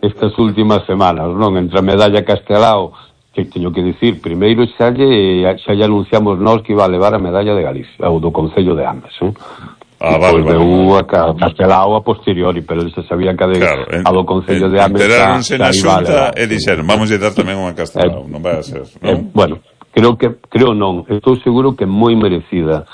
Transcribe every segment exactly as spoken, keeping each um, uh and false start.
estas últimas semanas, non? Entre a medalla Castelao, que teño que dicir, primeiro xa lle, xa lle anunciamos nós que iba a levar a medalla de Galicia, ou do Concello de Ames, non? Ah, vale, vale, vale. A Castelao a posteriori, pero ele se sabía que a, de, claro, en, a do Concello en, de Ames enteráronse na xunta e dixeron, vamos a dar tamén unha Castelao, non vai a ser, non? Eh, bueno, creo que creo non, estou seguro que moi merecida.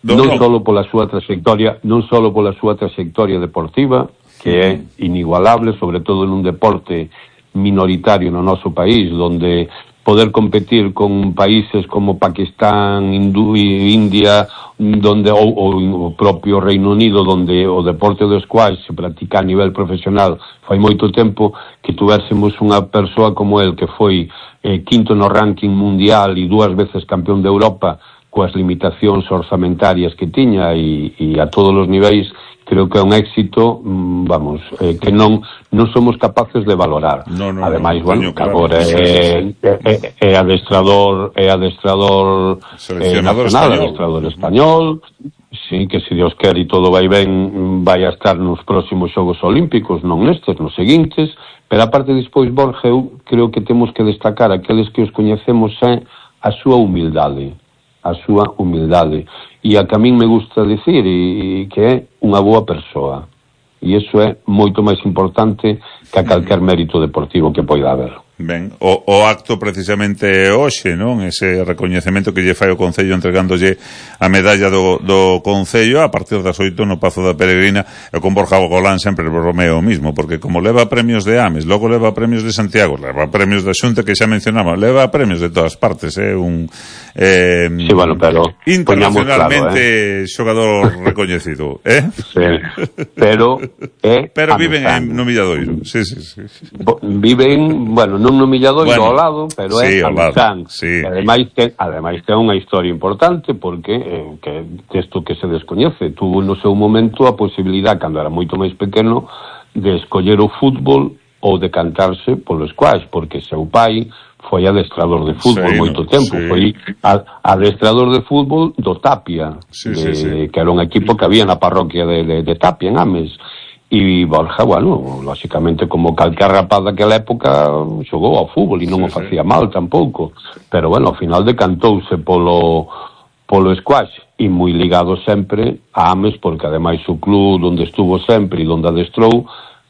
No, non no. solo pola súa trayectoria, non solo pola súa trayectoria deportiva, que é inigualable, sobre todo nun deporte minoritario no noso país, donde poder competir con países como Pakistán, Hindú, India, donde ou, ou o propio Reino Unido, donde o deporte do squash se practica a nivel profesional fai moito tempo, que tuvérsemos unha persoa como el que foi eh, quinto no ranking mundial e dúas veces campeón de Europa, coas limitacións orzamentarias que tiña e, e a todos os niveis, creo que é un éxito, vamos, eh, que non non somos capaces de valorar. No, no, ademais, no, bueno, coño, claro, agora sí, é, sí, sí. é, é adestrador, é adestrador eh, nacional, español. adestrador español, sí, que se Dios quer e todo vai ben, vai a estar nos próximos Xogos Olímpicos, non nestes, nos seguintes, pero aparte despois, Borja, eu creo que temos que destacar aqueles que os coñecemos é a súa humildade, a súa humildade, e a que a min me gusta dicir, e, e que é unha boa persoa, e iso é moito máis importante que a calquer mérito deportivo que poida haber. Ben, o, o acto precisamente hoxe, non? Ese recoñecemento que lle fai o Concello entregándolle a medalla do, do Concello a partir das oito no Pazo da Peregrina, e con Borja Golán sempre bromeo o mismo, porque como leva premios de Ames, logo leva premios de Santiago, leva premios da Xunta que xa mencionaba, leva premios de todas partes, é eh? un eh, sí, bueno, pero internacionalmente claro, eh? xogador recoñecido, eh? Sí, pero eh, pero viven en, no Milladoiro, sí, sí, sí. Viven, bueno, non no Milladoiro bueno, ao lado, pero sí, é a Mizán. Sí. Ademais ten, ademais ten unha historia importante porque eh, que isto que se descoñece, tuvo no seu momento a posibilidade, cando era moito máis pequeno, de escoller o fútbol ou de cantarse polo squash, porque seu pai foi adestrador de fútbol sí, moito tempo, sí. Foi adestrador de fútbol do Tapia, sí, de, sí, sí. que era un equipo que había na parroquia de, de, de Tapia, en Ames. E Borja, bueno, lóxicamente como calquer rapaz daquela época xogou ao fútbol e non sí, o facía sí. mal tampouco, pero bueno, ao final decantouse polo polo squash e moi ligado sempre a Ames, porque ademais o club onde estuvo sempre e onde adestrou,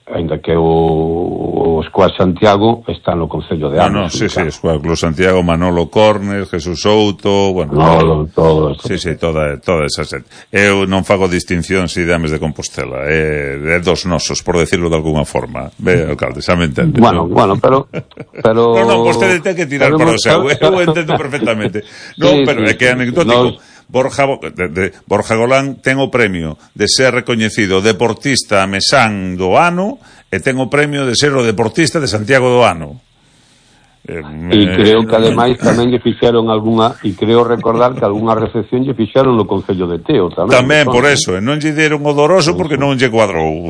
ainda que o, o Squash Santiago está no Concello de Ames. No, no, sí, sí, Squash Club Santiago, Manolo Cornes, Jesús Souto, bueno, no, todo, todo sí, sí, toda, toda esa xente. Eu non fago distinción si de Ames de Compostela, é, é dos nosos, por decirlo de alguna forma. Ve, alcalde, xa me entende. Bueno, ¿no? bueno, pero pero No, no, vostede ten que tirar para o seu, eu entendo perfectamente. No, sí, pero é que é anecdótico. No. Borja, de, de, Borja Golán ten o premio de ser recoñecido deportista mesán do ano e ten o premio de ser o deportista de Santiago do ano. E eh, creo que ademais tamén lle fixeron algunha, e creo recordar que algunha recepción lle fixeron no Concello de Teo tamén. Tamén, por eso, e non lle deron o doroso porque non lle cuadrou.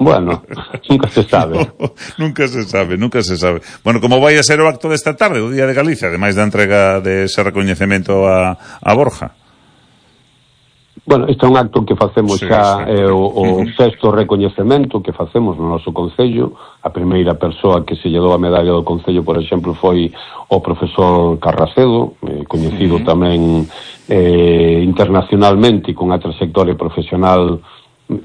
Bueno, nunca se sabe. No, nunca se sabe, nunca se sabe. Bueno, como vai a ser o acto desta tarde, o Día de Galicia, ademais da entrega de ese recoñecemento a, a Borja? Bueno, este é un acto que facemos sí, xa, sí. eh, o, o sexto recoñecemento que facemos no noso Concello. A primeira persoa que se lle dou a medalla do Concello, por exemplo, foi o profesor Carracedo, eh, coñecido uh-huh. tamén eh, internacionalmente, con a trayectoria profesional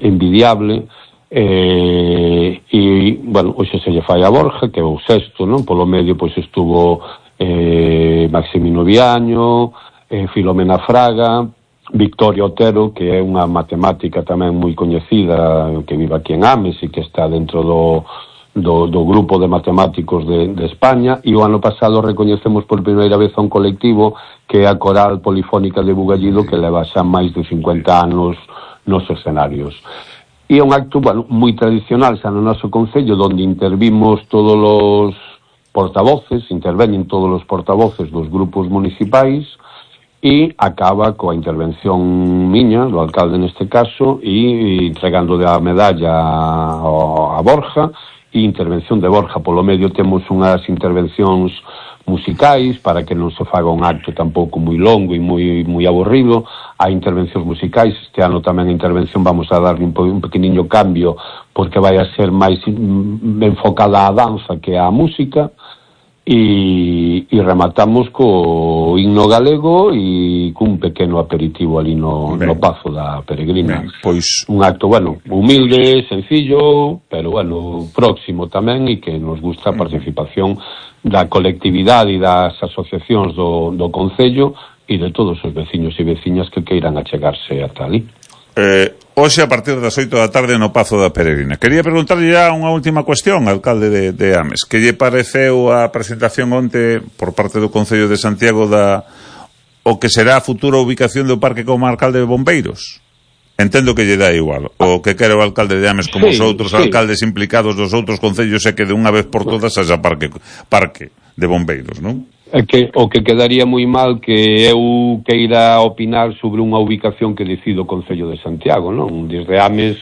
envidiable, eh, e, bueno, hoxe se lle fai a Borja, que é o sexto, non? Polo medio, pois, estuvo eh, Maximino Viaño, eh, Filomena Fraga, Victoria Otero, que é unha matemática tamén moi coñecida, que vive aquí en Ames e que está dentro do, do, do grupo de matemáticos de, de España, e o ano pasado recoñecemos por primeira vez a un colectivo que é a Coral Polifónica de Bugallido, que leva xa máis de cincuenta anos nos escenarios. E é un acto, bueno, moi tradicional xa no noso Concello, onde intervimos todos os portavoces, interveñen todos os portavoces dos grupos municipais, e acaba coa intervención miña, do alcalde neste caso, e entregando a medalla a, a Borja, e intervención de Borja. Polo medio temos unhas intervencións musicais, para que non se faga un acto tampouco moi longo e moi moi aburrido. Hai intervencións musicais, este ano tamén a intervención vamos a darle un, un pequeniño cambio, porque vai a ser máis enfocada á danza que á música. E, e rematamos co himno galego e cun pequeno aperitivo ali no, no Pazo da Peregrina. Ben, pois... un acto, bueno, humilde, sencillo, pero bueno, próximo tamén, e que nos gusta a participación da colectividade e das asociacións do, do Concello e de todos os veciños e veciñas que queiran achegarse ata ali. Eh, hoxe a partir das oito da tarde no Pazo da Peregrina. Quería preguntarlle ya unha última cuestión, alcalde de, de Ames. Que lle pareceu a presentación onte por parte do Concello de Santiago da o que será a futura ubicación do Parque Comarcal de Bombeiros? Entendo que lle dá igual. O que quere o alcalde de Ames como sí, os outros sí. alcaldes implicados dos outros concellos é que de unha vez por todas haxa parque, parque de bombeiros, non? É que o que quedaría moi mal que eu queira opinar sobre unha ubicación que decide o Concello de Santiago, non? Desde Ames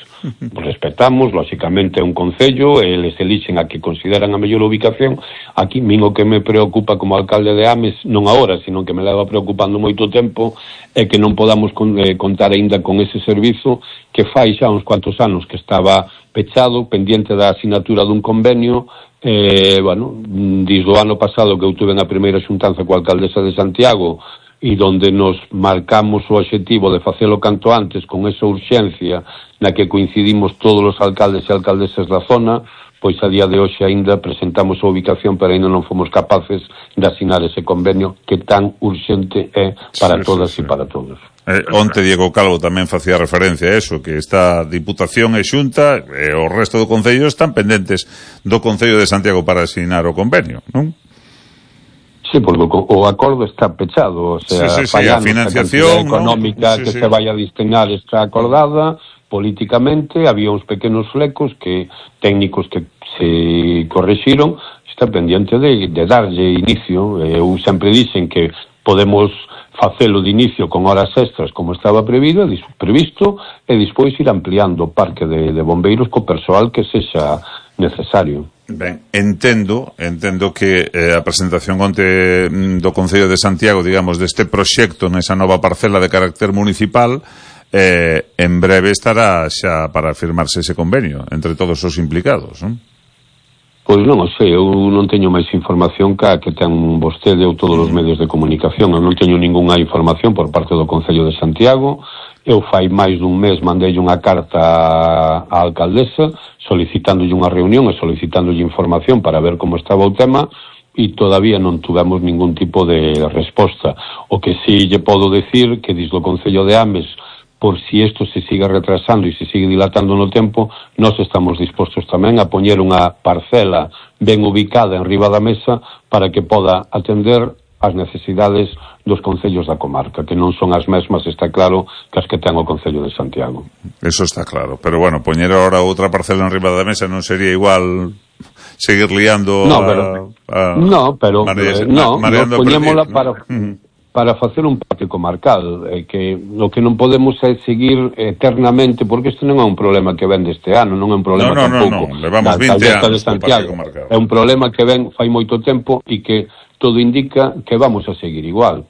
respetamos, lóxicamente é un concello, eles elixen a que consideran a mellor ubicación. Aquí, min o que me preocupa como alcalde de Ames, non agora, sino que me leva preocupando moito tempo, é que non podamos con, eh, contar aínda con ese servizo que fai xa uns cuantos anos que estaba pechado, pendiente da asinatura dun convenio. Eh, bueno, desde o ano pasado que eu tuve na primeira xuntanza coa alcaldesa de Santiago e donde nos marcamos o obxectivo de facelo canto antes con esa urxencia na que coincidimos todos os alcaldes e alcaldesas da zona, pois a día de hoxe aínda presentamos a ubicación, pero aínda non fomos capaces de asinar ese convenio que tan urxente é para sí, todas sí, sí. e para todos. Eh, onte Diego Calvo tamén facía referencia a eso, que esta Diputación e Xunta e o resto do Concello están pendentes do Concello de Santiago para asinar o convenio, non? Sí, porque o acordo está pechado, o sea, sí, sí, sí, a financiación económica, ¿no? sí, que sí. se vai a destinar está acordada políticamente, había uns pequenos flecos que técnicos que se correxiron, está pendiente de, de darlle inicio. Eu sempre dicen que podemos facelo de inicio con horas extras como estaba previsto, previsto e despois ir ampliando o parque de, de bombeiros co persoal que sexa necesario. Ben, entendo, entendo que eh, a presentación onte do Concello de Santiago, digamos, deste proxecto nesa nova parcela de carácter municipal, eh, en breve estará xa para firmarse ese convenio entre todos os implicados, non? Pois non o sei, eu non teño máis información que a que ten vostede ou todos os medios de comunicación. Eu non teño ningunha información por parte do Concello de Santiago. Eu fai máis dun mes mandei unha carta á alcaldesa solicitándolle unha reunión e solicitándolle información para ver como estaba o tema e todavía non tuvemos ningún tipo de resposta. O que sí lle podo decir que desde o Concello de Ames, por si isto se siga retrasando e se sigue dilatando no tempo, nós estamos dispostos tamén a poñer unha parcela ben ubicada en riba da mesa para que poda atender as necesidades dos concellos da comarca, que non son as mesmas, está claro, que as que ten o Concello de Santiago. Eso está claro, pero bueno, poñer ahora outra parcela en riba da mesa non sería igual seguir liando no, pero, a, a no, pero mareas, eh, no, ma, nos poñémola ¿no? para... Uh-huh. para facer un parque comarcal, eh, que o que non podemos é seguir eternamente, porque isto non é un problema que ven deste ano, non é un problema no, no, tampouco no, no. Levamos vinte anos de Santiago. É un problema que ven fai moito tempo e que todo indica que vamos a seguir igual.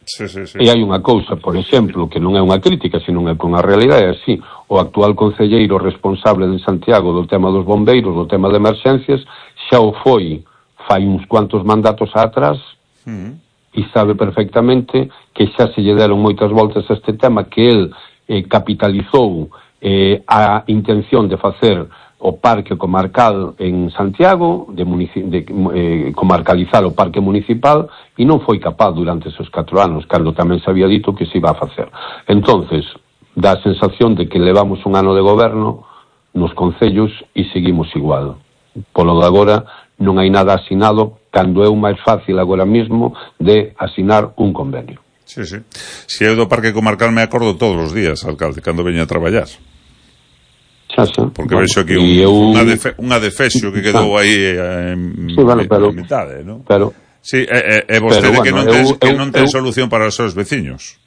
Sí, sí, sí. E hai unha cousa, por exemplo, que non é unha crítica, sino é con a realidade, é así. O actual concelleiro responsable de Santiago do tema dos bombeiros, do tema de emerxencias, xa o foi fai uns cuantos mandatos atrás, uh-huh. e sabe perfectamente que xa se lle deron moitas voltas a este tema, que el eh, capitalizou eh, a intención de facer o parque comarcal en Santiago, de, munici- de eh, comarcalizar o parque municipal, e non foi capaz durante esos catro anos, cando tamén se había dito que se iba a facer. Entonces, dá a sensación de que levamos un ano de goberno nos concellos e seguimos igual. Polo de agora non hai nada asinado, cando é o máis fácil agora mesmo de asinar un convenio. Sí, sí. Si eu do Parque Comarcal me acordo todos os días, alcalde, cando veña a traballar. Xa, xa. Porque bueno, vexo aquí un, eu... unha, defe, unha defexo que quedou aí en, sí, bueno, pero, en mitade, non? Pero, sí, é, é vostede pero, bueno, que non ten, eu, que eu, non ten eu, solución para os seus veciños.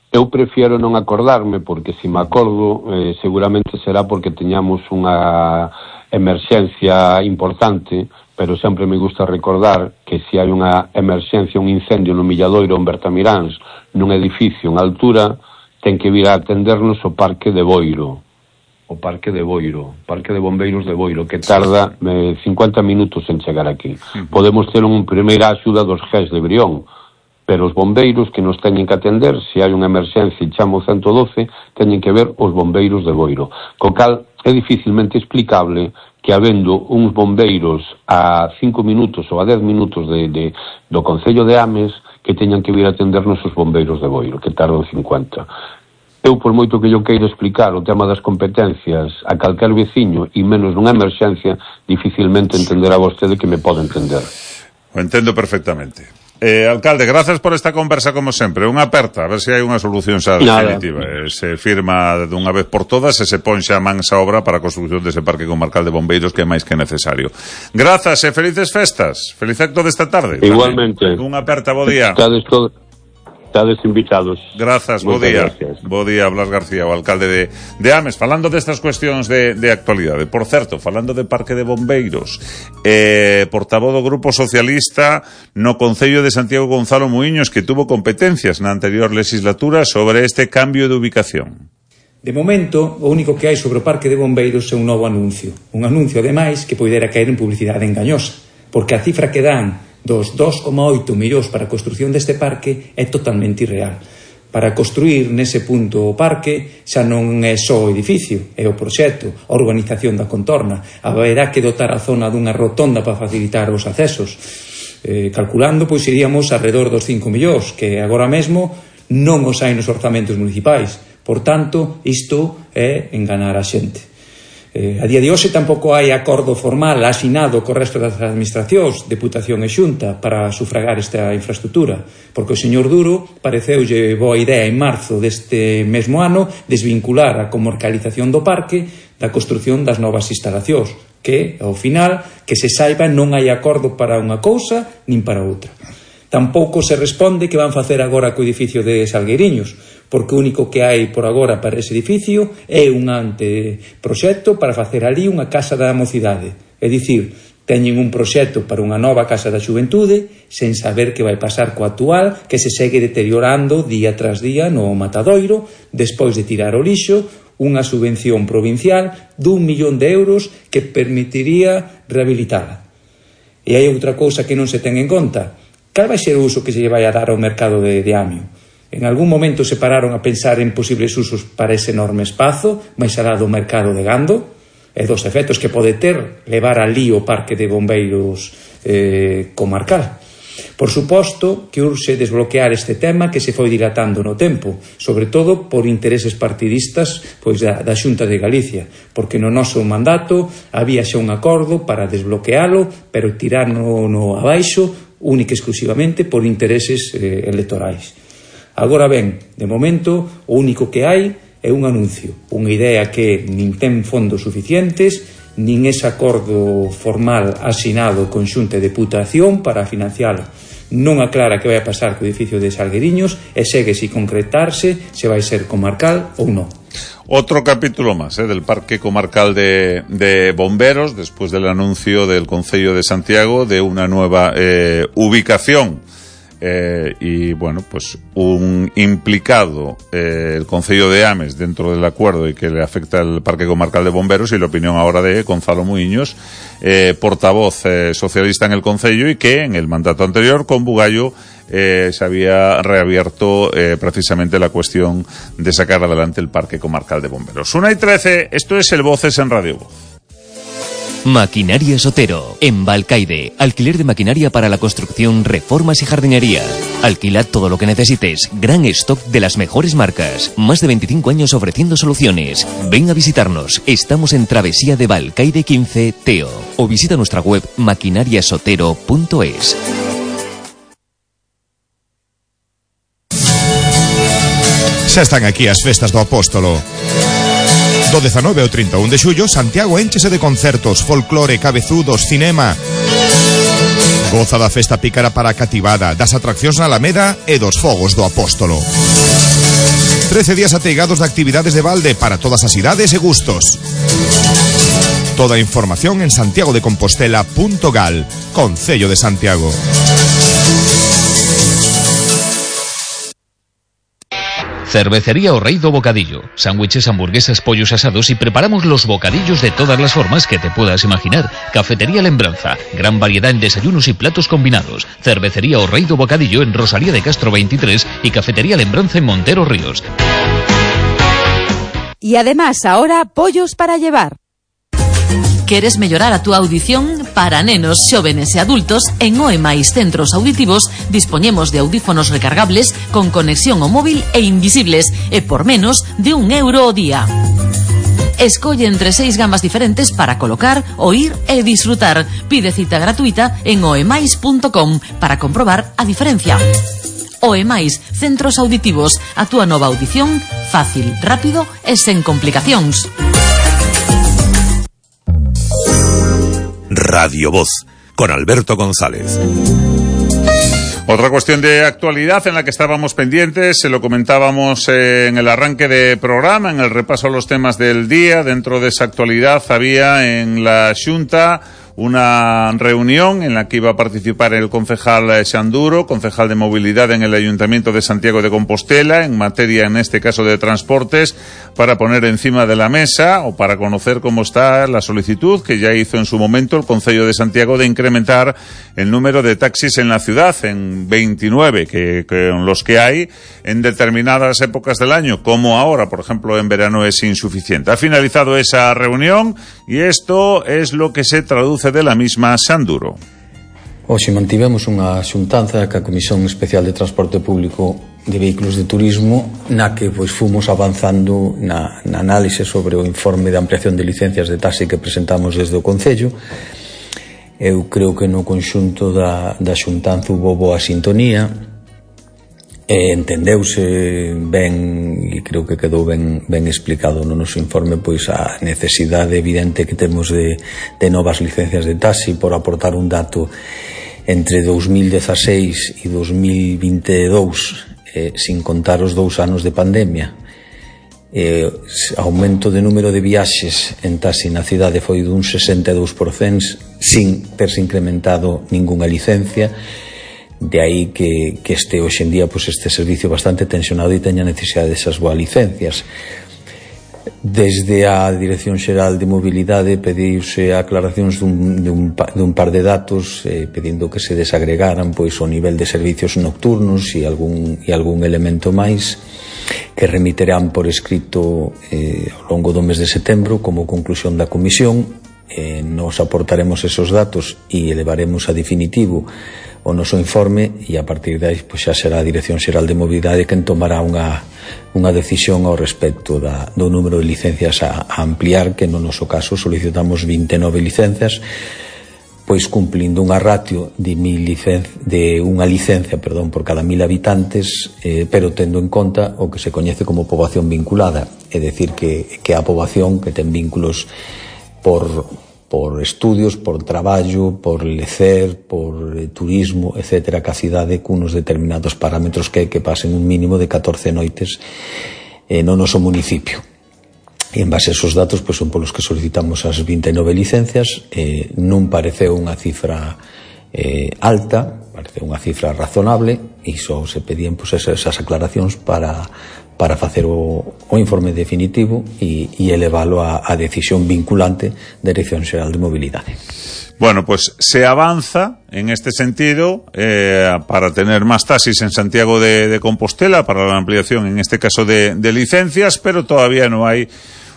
Eu prefiero non acordarme, porque se me acordo, eh, seguramente será porque teñamos unha emerxencia importante, pero sempre me gusta recordar que se hai unha emerxencia, un incendio no Milladoiro ou en Bertamiráns, nun edificio en altura, ten que vir a atendernos o Parque de Boiro, o Parque de Boiro, Parque de Bombeiros de Boiro, que tarda eh, cincuenta minutos en chegar aquí. Uh-huh. Podemos ter un primeira axuda dos G E S de Brión, pero os bombeiros que nos teñen que atender, se hai unha emerxencia e chamo ciento doce, teñen que ver os bombeiros de Boiro. Co cal é dificilmente explicable que habendo uns bombeiros a cinco minutos ou a dez minutos de, de, do Concello de Ames que teñan que vir a atendernos os bombeiros de Boiro, que tardan cincuenta. Eu, por moito que eu queira explicar o tema das competencias a calquer veciño e menos nunha emerxencia, dificilmente entenderá vostede que me pode entender. O entendo perfectamente. Eh, alcalde, grazas por esta conversa como sempre. Unha aperta, a ver se hai unha solución xa definitiva. Eh, se firma dunha vez por todas e se pon xa mans a obra para a construcción dese parque comarcal de bombeiros que é máis que necesario. Grazas e felices festas. Feliz acto desta tarde. Igualmente. Unha aperta, bo día. Estades todo... Estades invitados. Grazas, bo día. Gracias. Bo día, Blas García, o alcalde de, de Ames, falando destas cuestións de, de actualidade. Por certo, falando de Parque de Bombeiros, eh, portavoz do Grupo Socialista no Concello de Santiago, Gonzalo Muiños, que tuvo competencias na anterior legislatura sobre este cambio de ubicación. De momento, o único que hai sobre o Parque de Bombeiros é un novo anuncio. Un anuncio, ademais, que poidera caer en publicidade engañosa, porque a cifra que dan dos dos coma oito millóns para a construción deste parque é totalmente irreal. Para construir nese punto o parque xa non é só o edificio, é o proxecto, a organización da contorna. Haberá que dotar a zona dunha rotonda para facilitar os accesos. Eh, calculando, pois iríamos alrededor dos cinco millóns, que agora mesmo non os hai nos orzamentos municipais. Por tanto, isto é enganar a xente. Eh, a día de hoxe tampouco hai acordo formal asinado co resto das administracións, Deputación e Xunta, para sufragar esta infraestructura, porque o señor Duro pareceulle boa idea en marzo deste mesmo ano desvincular a comarcalización do parque da construción das novas instalacións, que, ao final, que se saiba, non hai acordo para unha cousa nin para outra. Tampouco se responde que van facer agora co edificio de Salgueiriños, porque o único que hai por agora para ese edificio é un anteproxecto para facer ali unha casa da mocidade. É dicir, teñen un proxecto para unha nova casa da xuventude sen saber que vai pasar co actual, que se segue deteriorando día tras día no matadoiro, despois de tirar o lixo, unha subvención provincial dun millón de euros que permitiría rehabilitala. E hai outra cousa que non se ten en conta. Cal vai ser o uso que se lle vai a dar ao mercado de, de Amio? En algún momento se pararon a pensar en posibles usos para ese enorme espazo, máis alá do mercado de gando, e dos efectos que pode ter levar ali o parque de bombeiros eh, comarcal. Por suposto que urxe desbloquear este tema que se foi dilatando no tempo, sobre todo por intereses partidistas pois da, da Xunta de Galicia, porque no noso mandato había xa un acordo para desbloquealo, pero tirarno no abaixo única e exclusivamente por intereses eh, electorais. Agora ben, de momento, o único que hai é un anuncio, unha idea que nin ten fondos suficientes, nin ese acordo formal asinado con Xunta de Deputación para financialo. Non aclara que vai a pasar co edificio de Salgueiriños e segue sin concretarse se vai ser comarcal ou non. Otro capítulo más, ¿eh? del Parque Comarcal de, de Bomberos, después del anuncio del Concello de Santiago de una nueva eh, ubicación. Eh, y bueno, pues un implicado, eh, el Concello de Ames, dentro del acuerdo y que le afecta al Parque Comarcal de Bomberos, y la opinión ahora de Gonzalo Muiños, eh, portavoz eh, socialista en el Concello, y que en el mandato anterior con Bugallo eh, se había reabierto eh, precisamente la cuestión de sacar adelante el Parque Comarcal de Bomberos. una y trece, esto es el Voces en Radio Voz. Maquinaria Sotero, en Balcaide. Alquiler de maquinaria para la construcción, reformas y jardinería. Alquilad todo lo que necesites. Gran stock de las mejores marcas. Más de veinticinco años ofreciendo soluciones. Ven a visitarnos. Estamos en Travesía de Balcaide quince, Teo. O visita nuestra web maquinariasotero punto es. Xa están aquí as festas do Apóstolo. Do dezanove ao trinta e un de xullo, Santiago énchese de concertos, folclore, cabezudos, cinema. Goza da festa pícara para a cativada, das atraccións na Alameda e dos fogos do Apóstolo. trece días ateigados de actividades de balde para todas as idades e gustos. Toda a información en santiago de compostela punto gal, Concello de Santiago. Cervecería O Rei do Bocadillo. Sándwiches, hamburguesas, pollos asados y preparamos los bocadillos de todas las formas que te puedas imaginar. Cafetería Lembranza. Gran variedad en desayunos y platos combinados. Cervecería O Rei do Bocadillo en Rosalía de Castro veintitrés y Cafetería Lembranza en Montero Ríos. Y además ahora pollos para llevar. ¿Queres mellorar a túa audición? Para nenos, xóvenes e adultos, en O E máis Centros Auditivos dispoñemos de audífonos recargables con conexión ao móvil e invisibles e por menos de un euro ao día. Escolle entre seis gamas diferentes para colocar, oír e disfrutar. Pide cita gratuita en oemais punto com para comprobar a diferencia. O E máis Centros Auditivos, a túa nova audición fácil, rápido e sen complicacións. Radio Voz, con Alberto González. Otra cuestión de actualidad en la que estábamos pendientes, se lo comentábamos eh, en el arranque de programa, en el repaso a los temas del día. Dentro de esa actualidad había en la Xunta una reunión en la que iba a participar el concejal Xanduro, concejal de movilidad en el Ayuntamiento de Santiago de Compostela, en materia, en este caso, de transportes, para poner encima de la mesa o para conocer cómo está la solicitud que ya hizo en su momento el Concello de Santiago de incrementar el número de taxis en la ciudad en veintinueve, que, que los que hay en determinadas épocas del año, como ahora, por ejemplo, en verano, es insuficiente. Ha finalizado esa reunión y esto es lo que se traduce de la misma Xanduro. Hoxe mantivemos unha xuntanza ca Comisión Especial de Transporte Público de Vehículos de Turismo, na que pois fomos avanzando na, na análise sobre o informe de ampliación de licencias de taxi que presentamos desde o Concello. Eu creo que no conxunto da, da xuntanza hubo boa sintonía, e entendeuse ben, e creo que quedou ben, ben explicado no noso informe, pois a necesidade evidente que temos de, de novas licencias de taxi, por aportar un dato entre dous mil dezaseis e dous mil vinte e dous, eh, sin contar os dous anos de pandemia. Eh, aumento de número de viaxes en taxi na cidade foi dun sesenta e dous por cento sin terse incrementado ningunha licencia. De aí que, que este hoxe en día pues, este servicio bastante tensionado e teña necesidade desas boas licencias. Desde a Dirección Xeral de Mobilidade pediuse aclaracións dun, dun, dun par de datos, eh, pedindo que se desagregaran pois, o nivel de servicios nocturnos e algún, e algún elemento máis que remiterán por escrito eh, ao longo do mes de setembro como conclusión da comisión. Eh, nos aportaremos esos datos e elevaremos a definitivo o noso informe e a partir de aí pois, xa será a Dirección Xeral de Mobilidade quen tomará unha, unha decisión ao respecto da, do número de licencias a, a ampliar, que no noso caso solicitamos vinte e nove licencias, pois cumplindo unha ratio de, mil licen, de unha licencia perdón, por cada mil habitantes, eh, pero tendo en conta o que se coñece como poboación vinculada, é dicir que, que a poboación que ten vínculos por por estudios, por traballo, por lecer, por eh, turismo, etcétera, ca cidade cunos determinados parámetros que que pasen un mínimo de catorce noites eh, no noso municipio. E en base a esos datos pois, son polos que solicitamos as vinte e nove licencias. Eh, non pareceu unha cifra eh, alta, pareceu unha cifra razonable e só se pedían pois, esas, esas aclaracións para para facer o, o informe definitivo e, e elevalo a, a decisión vinculante da Dirección Xeral de Mobilidade. Bueno, pues se avanza en este sentido eh, para tener más taxis en Santiago de, de Compostela, para la ampliación, en este caso, de, de licencias, pero todavía no hay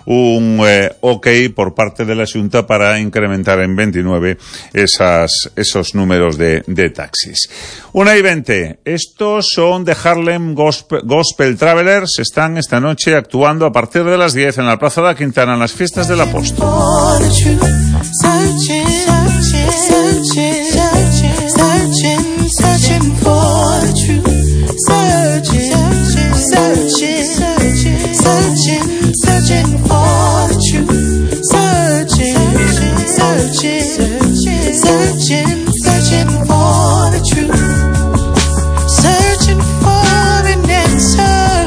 un eh, ok por parte de la Xunta para incrementar en veintinueve esas, esos números de, de taxis. Una y veinte. Estos son de Harlem Gospel, Gospel Travelers. Están esta noche actuando a partir de las diez en la Plaza de la Quintana en las fiestas del Apóstol. Searching for the truth, searching, searching, searching, searching, searching for the truth, searching for an answer,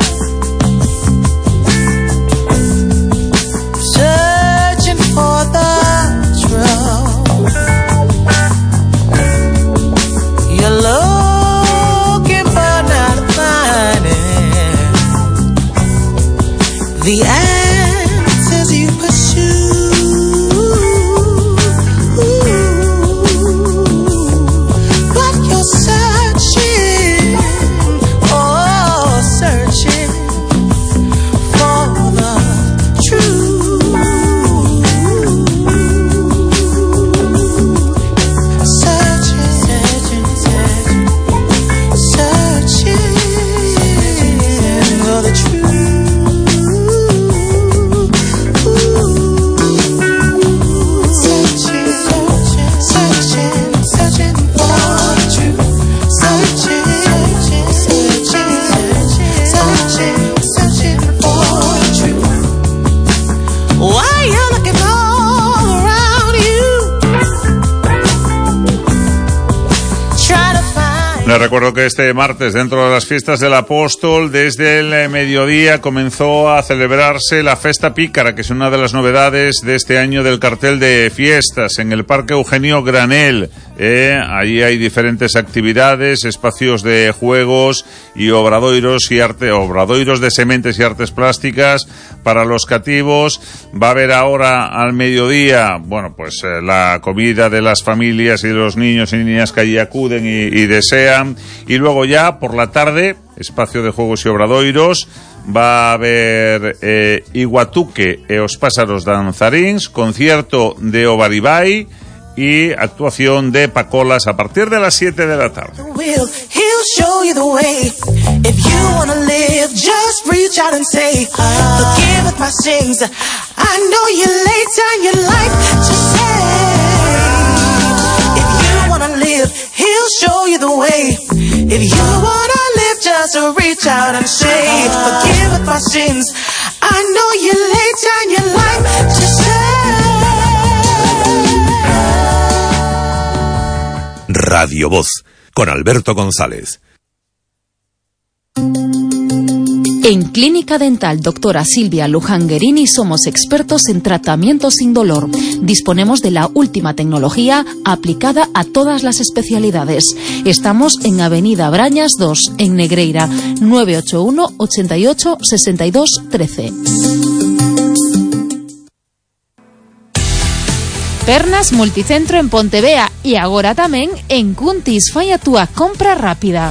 searching for the Les recuerdo que este martes, dentro de las fiestas del Apóstol, desde el mediodía comenzó a celebrarse la Festa Pícara, que es una de las novedades de este año del cartel de fiestas, en el Parque Eugenio Granel. Eh, allí hay diferentes actividades, espacios de juegos y obradoiros y arte, obradoiros de sementes y artes plásticas para los cativos. Va a haber ahora al mediodía, bueno, pues eh, la comida de las familias y de los niños y niñas que allí acuden y, y desean. Y luego ya por la tarde, espacio de juegos y obradoiros. Va a haber eh, Iguatuque e os pásaros danzaríns, concierto de Obaribay y actuación de Pacolas a partir de las siete de la tarde. He'll show you the way. If you wanna live, just reach out and say, forgive my sins. I know you laid down your life to say. If you wanna live, he'll show you the way. If you wanna live, just reach out and say, forgive my sins. I know you laid down your life to say. Radio Voz, con Alberto González. En Clínica Dental Doctora Silvia Lujanguerini somos expertos en tratamiento sin dolor. Disponemos de la última tecnología aplicada a todas las especialidades. Estamos en Avenida Brañas dos, en Negreira, nueve ocho uno, ochenta y ocho, sesenta y dos, trece. Pernas Multicentro en Pontevea e agora tamén en Cuntis. Fai a túa compra rápida.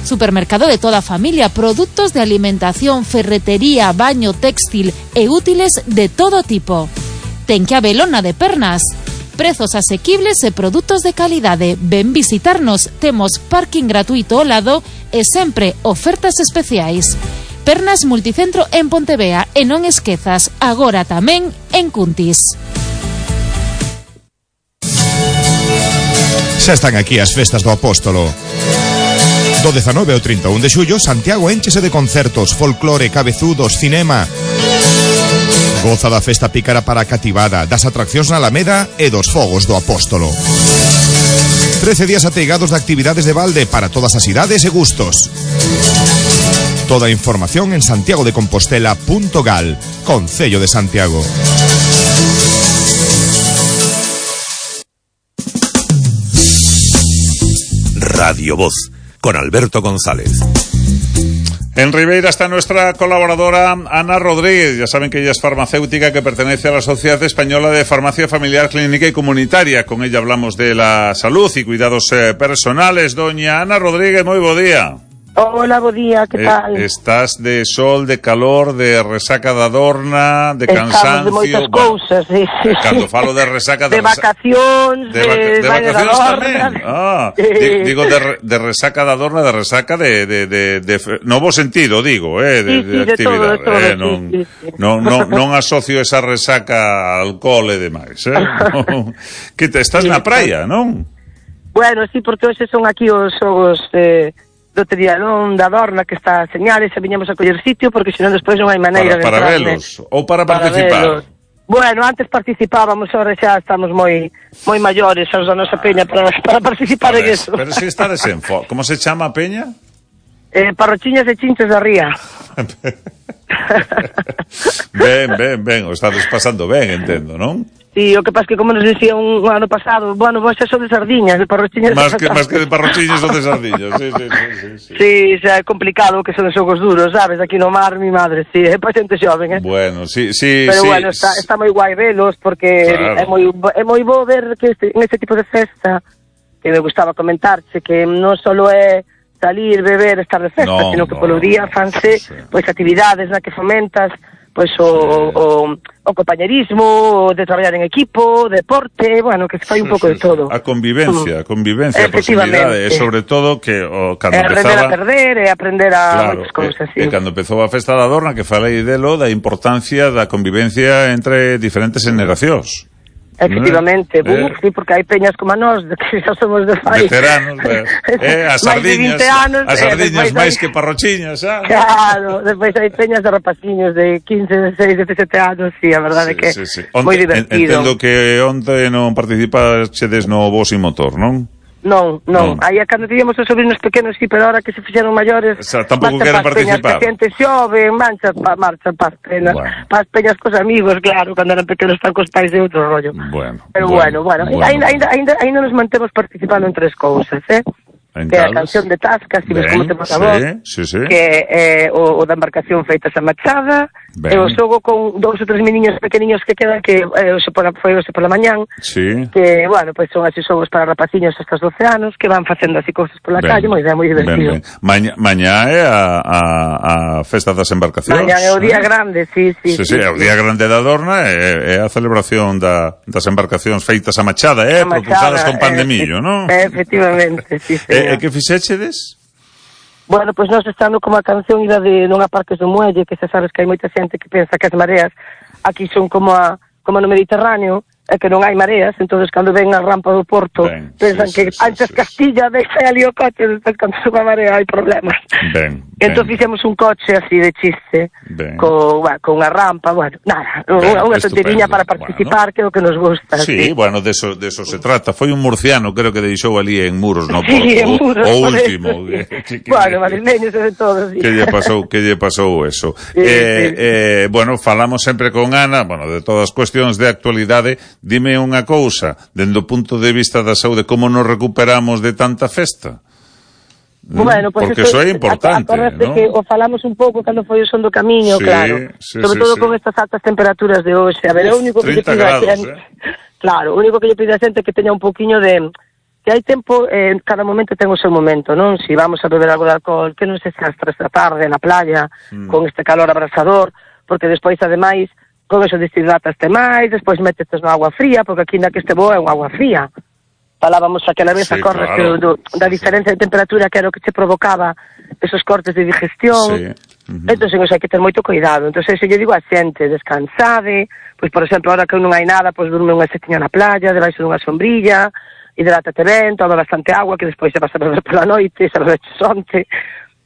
Supermercado de toda a familia, produtos de alimentación, ferretería, baño, textil e útiles de todo tipo. Ten que habelo na de Pernas. Prezos asequibles e produtos de calidade. Ven visitarnos, temos parking gratuito ao lado e sempre ofertas especiais. Pernas Multicentro en Pontevea e non esquezas, agora tamén en Cuntis. Xa están aquí as festas do Apóstolo. Do dezanove ao trinta e un de xullo, Santiago énchese de concertos, folclore, cabezudos, cinema. Goza da festa pícara para a cativada, das atraccións na Alameda e dos fogos do Apóstolo. trece días ateigados de actividades de balde para todas as idades e gustos. Toda a información en santiago de compostela punto gal, Concello de Santiago. Radio Voz, con Alberto González. En Ribeira está nuestra colaboradora Ana Rodríguez. Ya saben que ella es farmacéutica que pertenece a la Sociedad Española de Farmacia Familiar, Clínica y Comunitaria. Con ella hablamos de la salud y cuidados eh, personales. Doña Ana Rodríguez, muy buen día. Hola, bo día, que eh, tal? Estás de sol, de calor, de resaca da dorna, de Estamos cansancio. de moitas cousas, sí, sí. Cando falo de resaca de, de vacacións, de, vaca, de, de vacacións tamén. Ah, sí. Digo de, de resaca da dorna, de resaca de, de, de, de no bo sentido, digo, eh, de, sí, sí, de actividade. De todo, de todo, eh, non, sí, sí, sí. non, non, non asocio esa resaca a alcohol e demais, eh? No. Que te estás sí, na praia, non? Bueno, sí, porque hoxe son aquí os xogos eh, do Trialón da Dorna que está a señales e viñemos a coller sitio porque senón despois non hai maneira para, de para entrar. Para velos ou para, para participar? Velos. Bueno, antes participábamos, ahora xa estamos moi moi maiores os da nosa peña para, para participar ver, en eso. Pero si está desenfo... Como se chama a peña? Eh, Parrochiñas e Chinches da Ría. Ben, ben, ben, o estades pasando ben, entendo, non? Sí, o que pasa que como nos dicía un, un ano pasado, bueno, vos xa son de sardiñas, de parrochiñas. Más que, más que de parrochiñas son de sardiñas, sí, sí, sí, sí, sí. Sí, xa é complicado que son xogos duros, sabes, aquí no mar, mi madre, sí, é pa xente xoven, eh. Bueno, sí, sí, pero sí. Pero bueno, está, está moi guai velos, porque claro. é moi é moi bo ver que este, en este tipo de festa, que me gustaba comentarche, que non solo é salir, beber, estar de festa, no, sino que no, polo día fanse, sí. pois, actividades na que fomentas, pois o, o, o compañerismo, de traballar en equipo, deporte, bueno, que se fai un sí, pouco sí, de todo. A convivencia, a convivencia, a posibilidade, e sobre todo que o, cando é empezaba... aprender a perder e aprender a claro, moitas cousas, e, sí. E cando empezou a festa da Dorna, que falei delo, da importancia da convivencia entre diferentes generacións. Efectivamente, eh, sí, porque hai peñas como a nós, que xa somos de fai. Veteranos, eh, as sardiñas, as sardiñas máis que parrochiñas, xa. Claro, despois hai peñas de rapaciños de quince, dezasseis, dezasete anos, sí, a verdade sí, que é sí, sí. moi divertido. Entendo que onte non participaxedes no Voz y Motor, non? Non, non, aí a cando tíamos os sobrinos pequenos, sí, pero ahora que se fixeron maiores, o sea, tampouco queren participar. Que xente xove, mancha, pa, marcha pas penas, bueno. pas peñas cos amigos, claro, cando eran pequenos están cos pais de outro rollo. Bueno, pero bueno, bueno, bueno, bueno. Ainda, ainda, ainda, ainda nos mantemos participando en tres cousas, eh? En que é a canción de Tasca, si ves como temos a voz, sí, sí, sí. que é o, o da embarcación feita esa machada, ben. E o xogo con dous ou tres meniños pequeniños que quedan, que eh, oxe pola, foi hoxe pola mañán, sí. que, bueno, pois pues son así xogos para rapaciños hasta os doce anos, que van facendo así cousas pola ben. Calle, moi ben, moi divertido. Ben, ben. Maña, mañá é a, a, a festa das embarcacións. Mañá é o día eh? grande, sí, sí. Sí, sí, sí, é o día grande da Dorna, é, é a celebración da, das embarcacións feitas a machada, eh, a propulsadas con pan eh, de millo, non? Efectivamente, sí, señor. E que fixechedes? Bueno, pois pues nós estando como a canción ida de non a Parques do Muelle, que se sabes que hai moita xente que pensa que as mareas aquí son como a como no Mediterráneo, é que non hai mareas, entonces cando ven a rampa do Porto, ben, pensan sí, que sí, antes sí, Castilla deixa ali o coche, despois cando suba a marea hai problemas. Ben, entón ben. Fixemos un coche así de chiste, co, bueno, con unha rampa, bueno, nada, ben, unha tonteriña para participar, bueno. Que é o que nos gusta. Sí, sí. Bueno, de eso, de eso se trata. Foi un murciano, creo que deixou ali en Muros, no Porto, sí, en Muros, o, o último. Que, que, bueno, madrileños e de todo, sí. Que lle pasou, que lle pasou eso. Sí, eh, sí. eh, bueno, falamos sempre con Ana, bueno, de todas as cuestións de actualidade. Dime unha cousa, dende o punto de vista da saúde, como nos recuperamos de tanta festa? Bueno, pues porque eso é importante, ¿no? Que o falamos un pouco cando foi o son do camiño, sí, claro. Sí, sobre sí, todo sí. con estas altas temperaturas de hoxe. A ver, o único que lle pido a xente, eh? Claro, o único que lle pido a xente é que teña un poquinho de que hai tempo, eh, cada momento ten o seu momento, non? Si vamos a beber algo de alcohol, que non se xa as tres da tarde na playa, mm. con este calor abrasador, porque despois, ademais, con eso deshidrataste máis, despois metetes no agua fría, porque aquí na que este bo é un agua fría. Falábamos aquela vez, sí, a corres claro. do, da diferencia de temperatura que era o que che provocaba esos cortes de digestión. Sí. Uh-huh. Entón, o sea, hai que ter moito cuidado. Entón, se lle digo a xente, descansade, pois, por exemplo, ahora que non hai nada, pois, durme unha setiña na playa, debaixo dunha sombrilla, hidrátate ben, toma bastante agua, que despois se vas a beber pola noite, se bebeches onte.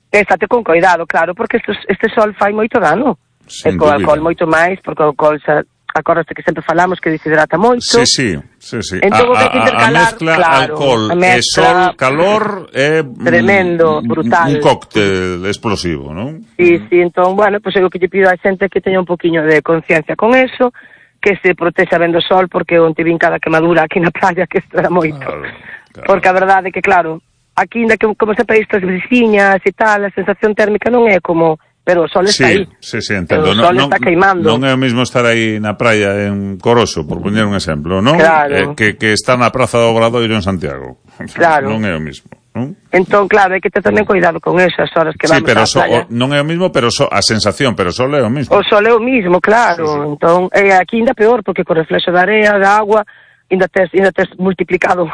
Estate con cuidado, claro, porque este, este sol fai moito dano. E co alcohol moito máis, porque o alcohol xa, acordaste que sempre falamos que deshidrata moito. Sí, sí, sí, sí. Entón, a, a, a mezcla claro, alcohol e sol, calor é tremendo, brutal. Un cóctel explosivo, non? Sí, sí, entón, bueno, pois pues, é o que lle pido a xente que teña un poquinho de conciencia con eso, que se protexa ben do sol, porque onte vin cada quemadura aquí na playa, que isto era moito. Claro, claro. Porque a verdade é que, claro, aquí, que, como sempre estas brisiñas e tal, a sensación térmica non é como... Pero o sol está sí, aí. Sí, sí, entendo. O sol non, está queimando. Non é o mismo estar aí na praia en Coroso, por poñer un exemplo, non? Claro. Eh, que, que está na Praza do Obradoiro en Santiago. Claro. Non é o mismo, non? Entón, claro, hai que ter tamén cuidado con esas horas que sí, vamos pero á so, playa. O, non é o mismo, pero so, a sensación, pero o sol é o mismo. O sol é o mismo, claro. Sí, sí. Entón, eh, aquí ainda peor, porque co reflexo da area, da agua, ainda tes, ainda tes multiplicado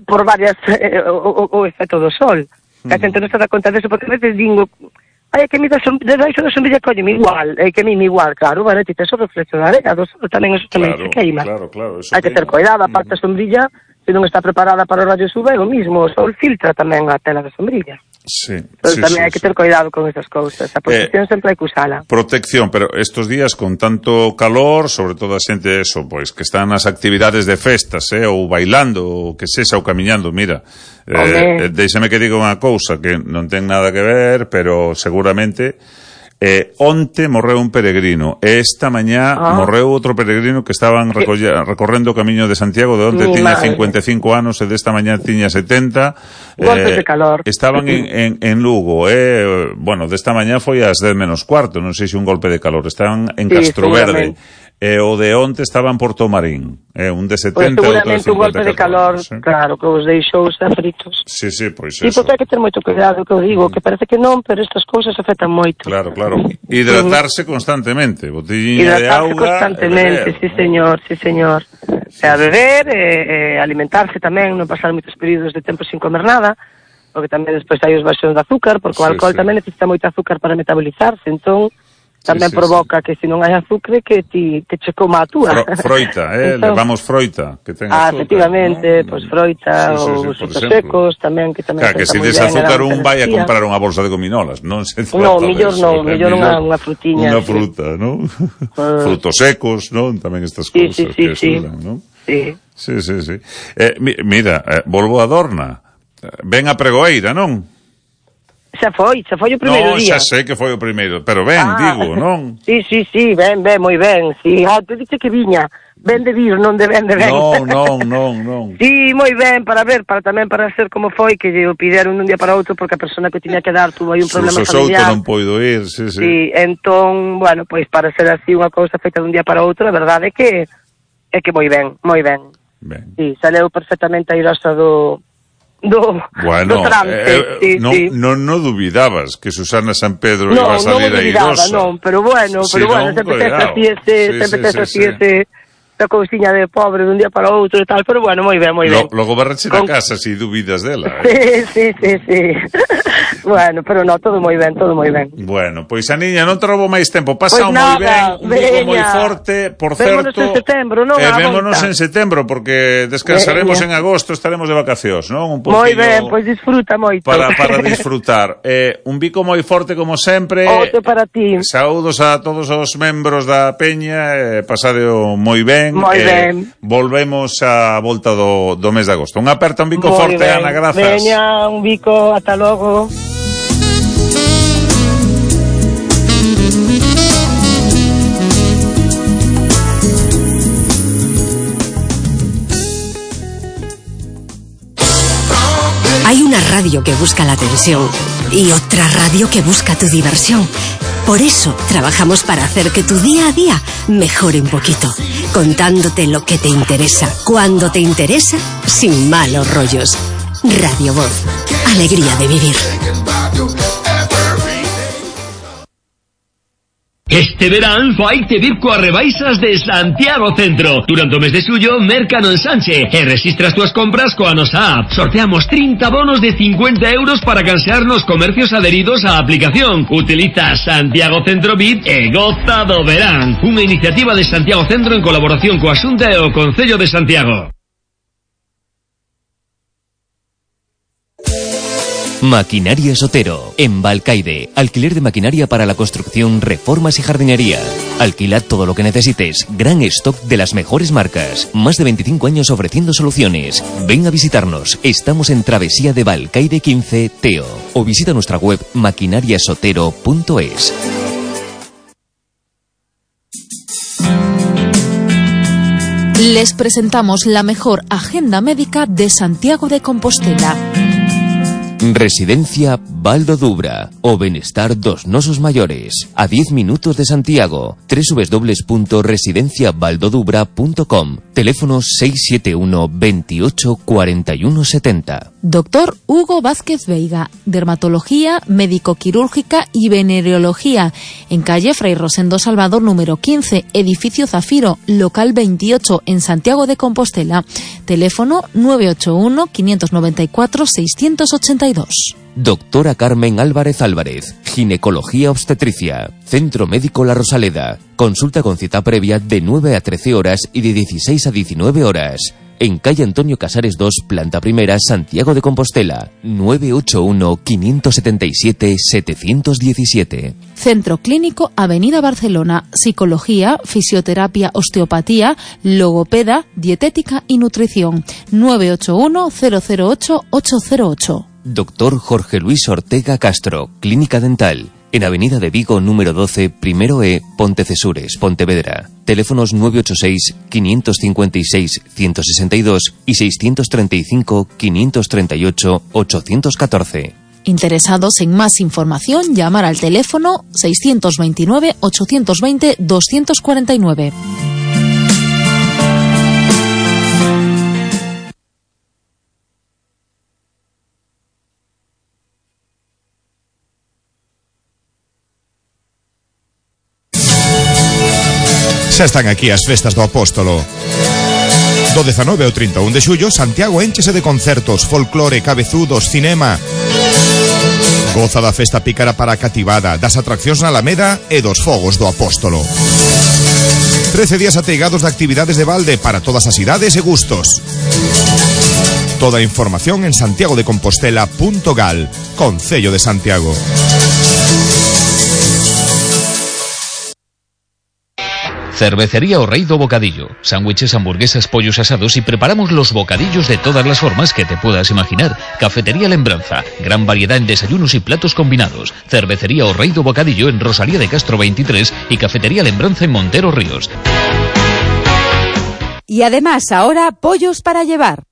por varias eh, o, o, o efecto do sol. Mm. Que a xente non se dá conta deso, porque a veces digo... Ai, que mi da debaixo da sombrilla colleme igual, é que a mí me igual, claro, bueno, ti tes o reflexo da area, do sol tamén eso tamén claro, se queima. Claro, claro, hai que ter cuidado, aparte a sombrilla, se non está preparada para o rayos U V, é o mismo, o sol filtra tamén a tela da sombrilla. Sí, Pero sí, tamén sí, hai que sí. ter cuidado con esas cousas, a protección eh, sempre hai que usala. Protección, pero estos días con tanto calor, sobre todo a xente eso, pois que están nas actividades de festas, eh, ou bailando, ou que sexa, ou camiñando, mira, eh, deixame que diga unha cousa que non ten nada que ver, pero seguramente eh, onte morreu un peregrino e esta mañá ah. morreu outro peregrino que estaban recolla, recorrendo o camiño de Santiago, de onte Mi tiña madre. cincuenta e cinco anos e desta mañá tiña setenta. Golpes eh, de calor. Estaban en, en, en Lugo, eh, bueno, desta mañá foi ás dez menos cuarto, non sei se un golpe de calor, estaban en sí, Castroverde. E o de onte estaba en Porto Marín, eh, un de setenta, pues seguramente un golpe de calor, anos, eh? Claro, que os deixou fritos. Sí, sí, pois sí, eso. Porque hai que ter moito cuidado, que eu digo, que parece que non, pero estas cousas afectan moito. Claro, claro. Hidratarse constantemente, botellina de auga. Hidratarse constantemente, sí, señor, sí, señor. Sí, e a beber, e, e alimentarse tamén, non pasar moitos períodos de tempo sin comer nada, porque tamén despois hai os baixóns de azúcar, porque o alcohol sí, sí. tamén necesita moito azúcar para metabolizarse, entón... tamén sí, sí, provoca sí. que se non hai azúcar que ti que che coma a túa. Fro, froita, eh, entón, levamos froita, que ten ah, azúcar. efectivamente, ¿no? Pois pues froita sí, sí, ou sí, frutos secos tamén que tamén. Claro, que se des azúcar un vai a comprar unha bolsa de gominolas, non se trata. No, millor non, millor unha unha frutiña. Unha fruta, sí. ¿no? Uh, Frutos secos, non? Tamén estas sí, cousas sí, sí, que sí. axudan, ¿no? Sí. Sí, sí, sí. Eh, mi, mira, eh, volvo a Dorna. Ven a Pregoeira, non? Xa foi, xa foi o primeiro no, día. Non, xa sei que foi o primeiro, pero ben, ah, digo, non? Sí, sí, sí, ben, ben, moi ben. Sí, ah, te dixe que viña. Ben de vir, non de ben de ben. Non, non, non, non. Sí, moi ben, para ver, para tamén para ser como foi, que lle o pideron dun día para outro porque a persona que tiña que dar tuvo aí un problema familiar. non poido ir, sí, sí. Sí, entón, bueno, pois para ser así unha cousa feita dun día para outro, a verdade é que é que moi ben, moi ben. Ben. Sí, saleu perfectamente airosa do do, bueno, do trance. Eh, sí, non, sí. non, non dubidabas que Susana San Pedro no, iba a salir no airosa. Non, pero bueno, si pero bueno, non, sempre tes así ese, sí, sempre sí, tes sí, así sí. ese esa cousiña de pobre dun día para outro e tal, pero bueno, moi ben, moi ben. Lo, logo barrache Con... na casa si dubidas dela. Eh? Sí, sí, sí, sí. Bueno, pero no, todo moi ben, todo moi ben. Bueno, pois a niña non te roubo máis tempo, pasa pues moi ben, un Vigo moi forte, por vémonos certo. Vémonos en setembro, non? Eh, vémonos en setembro, porque descansaremos veña. En agosto, estaremos de vacacións, non? Un pouquinho. Moi ben, pois disfruta moito. Para, para disfrutar. Eh, un bico moi forte como sempre. Outro para ti. Saúdos a todos os membros da Peña, eh, pasadeo moi ben. Moi eh, ben. Volvemos a volta do, do mes de agosto. Un aperta, un bico Muy forte, ben. Ana, grazas. Veña, un bico, ata logo. Hay una radio que busca la atención y otra radio que busca tu diversión. Por eso trabajamos para hacer que tu día a día mejore un poquito, contándote lo que te interesa, cuando te interesa, sin malos rollos. Radio Voz, alegría de vivir. Este verán vai te vir coas rebaixas de Santiago Centro. Durante o mes de xullo, merca no ensanche e rexistra as túas compras coa nosa app. Sorteamos trinta bonos de cincuenta euros para cansear nos comercios adheridos á aplicación. Utiliza Santiago Centro V I P e goza do verán. Unha iniciativa de Santiago Centro en colaboración coa Xunta e o Concello de Santiago. Maquinaria Sotero, en Balcaide. Alquiler de maquinaria para la construcción, reformas y jardinería. Alquila todo lo que necesites. Gran stock de las mejores marcas. Más de veinticinco años ofreciendo soluciones. Ven a visitarnos. Estamos en Travesía de Balcaide quince, Teo. O visita nuestra web maquinariasotero punto es. Les presentamos la mejor agenda médica de Santiago de Compostela. Residencia Baldo Dubra, o Benestar dos Nosos Mayores, a diez minutos de Santiago. doble u doble u doble u punto residencia baldo dubra punto com. Teléfono seis siete uno, veintiocho, cuarenta y uno setenta. Doctor Hugo Vázquez Veiga, dermatología, médico-quirúrgica y venereología, en calle Fray Rosendo Salvador número quince, edificio Zafiro, local veintiocho, en Santiago de Compostela. Teléfono nueve ocho uno, quinientos noventa y cuatro, seiscientos ochenta y dos. Doctora Carmen Álvarez Álvarez, ginecología obstetricia, Centro Médico La Rosaleda. Consulta con cita previa de nueve a trece horas y de dieciséis a diecinueve horas. En calle Antonio Casares dos, planta primera, Santiago de Compostela. nueve ocho uno, quinientos setenta y siete, setecientos diecisiete. Centro Clínico Avenida Barcelona. Psicología, fisioterapia, osteopatía, logopeda, dietética y nutrición. nueve ocho uno, cero cero ocho, ocho cero ocho. Doctor Jorge Luis Ortega Castro, Clínica Dental. En Avenida de Vigo, número doce, Primero E, Pontecesures, Pontevedra. Teléfonos nueve ocho seis, quinientos cincuenta y seis, ciento sesenta y dos y seiscientos treinta y cinco, quinientos treinta y ocho, ochocientos catorce. Interesados en más información, llamar al teléfono seiscientos veintinueve, ochocientos veinte, doscientos cuarenta y nueve. Xa están aquí as festas do Apóstolo. Do dezanove ao trinta e un de xullo, Santiago énchese de concertos, folclore, cabezudos, cinema. Goza da festa pícara para a cativada, das atraccións na Alameda e dos fogos do Apóstolo. trece días ateigados de actividades de balde para todas as idades e gustos. Toda a información en santiago de compostela punto gal, Concello de Cervecería O Rei do Bocadillo. Sándwiches, hamburguesas, pollos asados y preparamos los bocadillos de todas las formas que te puedas imaginar. Cafetería Lembranza. Gran variedad en desayunos y platos combinados. Cervecería O Rei do Bocadillo en Rosalía de Castro veintitrés y Cafetería Lembranza en Montero Ríos. Y además ahora pollos para llevar.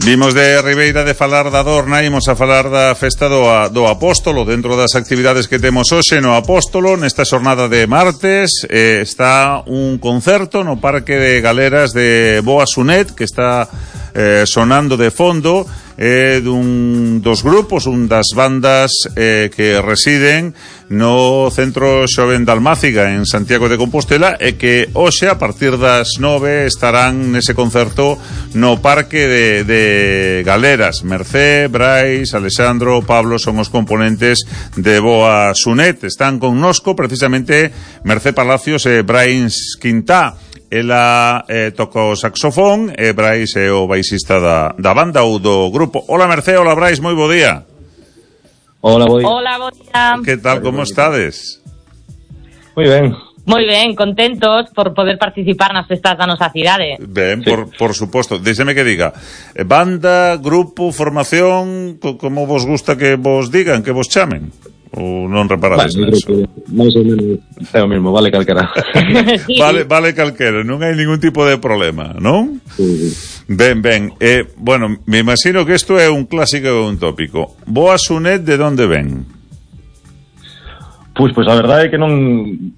Vimos de Ribeira de falar da Dorna, imos a falar da festa do, do Apóstolo. Dentro das actividades que temos hoxe no Apóstolo, nesta xornada de martes, eh, está un concerto no Parque de Galeras de Boa Sunet, que está eh, sonando de fondo, eh, dun dos grupos, un das bandas eh, que residen no Centro Xoven de Almáciga en Santiago de Compostela, e que hoxe a partir das nove estarán nese concerto no Parque de, de Galeras. Mercé, Brais, Alexandro, Pablo son os componentes de Boa Sunet. Están connosco precisamente Mercé Palacios e Brais Quintá. Ela eh, toca o saxofón e Brais é o baixista da, da banda ou do grupo. Hola Mercé, hola Brais, moi bo día. Hola, bo día. Hola, bo día. Que tal, como estades? Moi ben. Moi ben, contentos por poder participar nas festas da nosa cidade. Ben, sí. por, por suposto. Déxeme que diga, banda, grupo, formación, como vos gusta que vos digan, que vos chamen? Ou non reparades vale, neso? Mais ou menos é o mesmo, vale calquera. Sí. Vale, vale calquera, non hai ningún tipo de problema, non? Sí, sí. Ben, ben, eh, bueno, me imagino que isto é un clásico e un tópico. Boa Sunet, de onde ven? Pois, pois a verdade é que non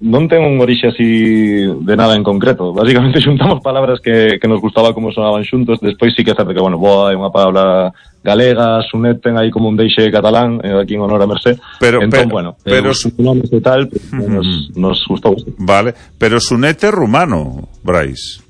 non ten un orixe así de nada en concreto. Básicamente xuntamos palabras que, que nos gustaba como sonaban xuntos. Despois sí que é certo que, bueno, boa é unha palabra galega, Sunet ten aí como un deixe catalán, eh, aquí en honor a Mercé. Pero, entón, pero, bueno, pero, eh, os nomes e tal, pues, uh-huh. nos, nos gustou. Vale, pero Sunet é rumano, Brais.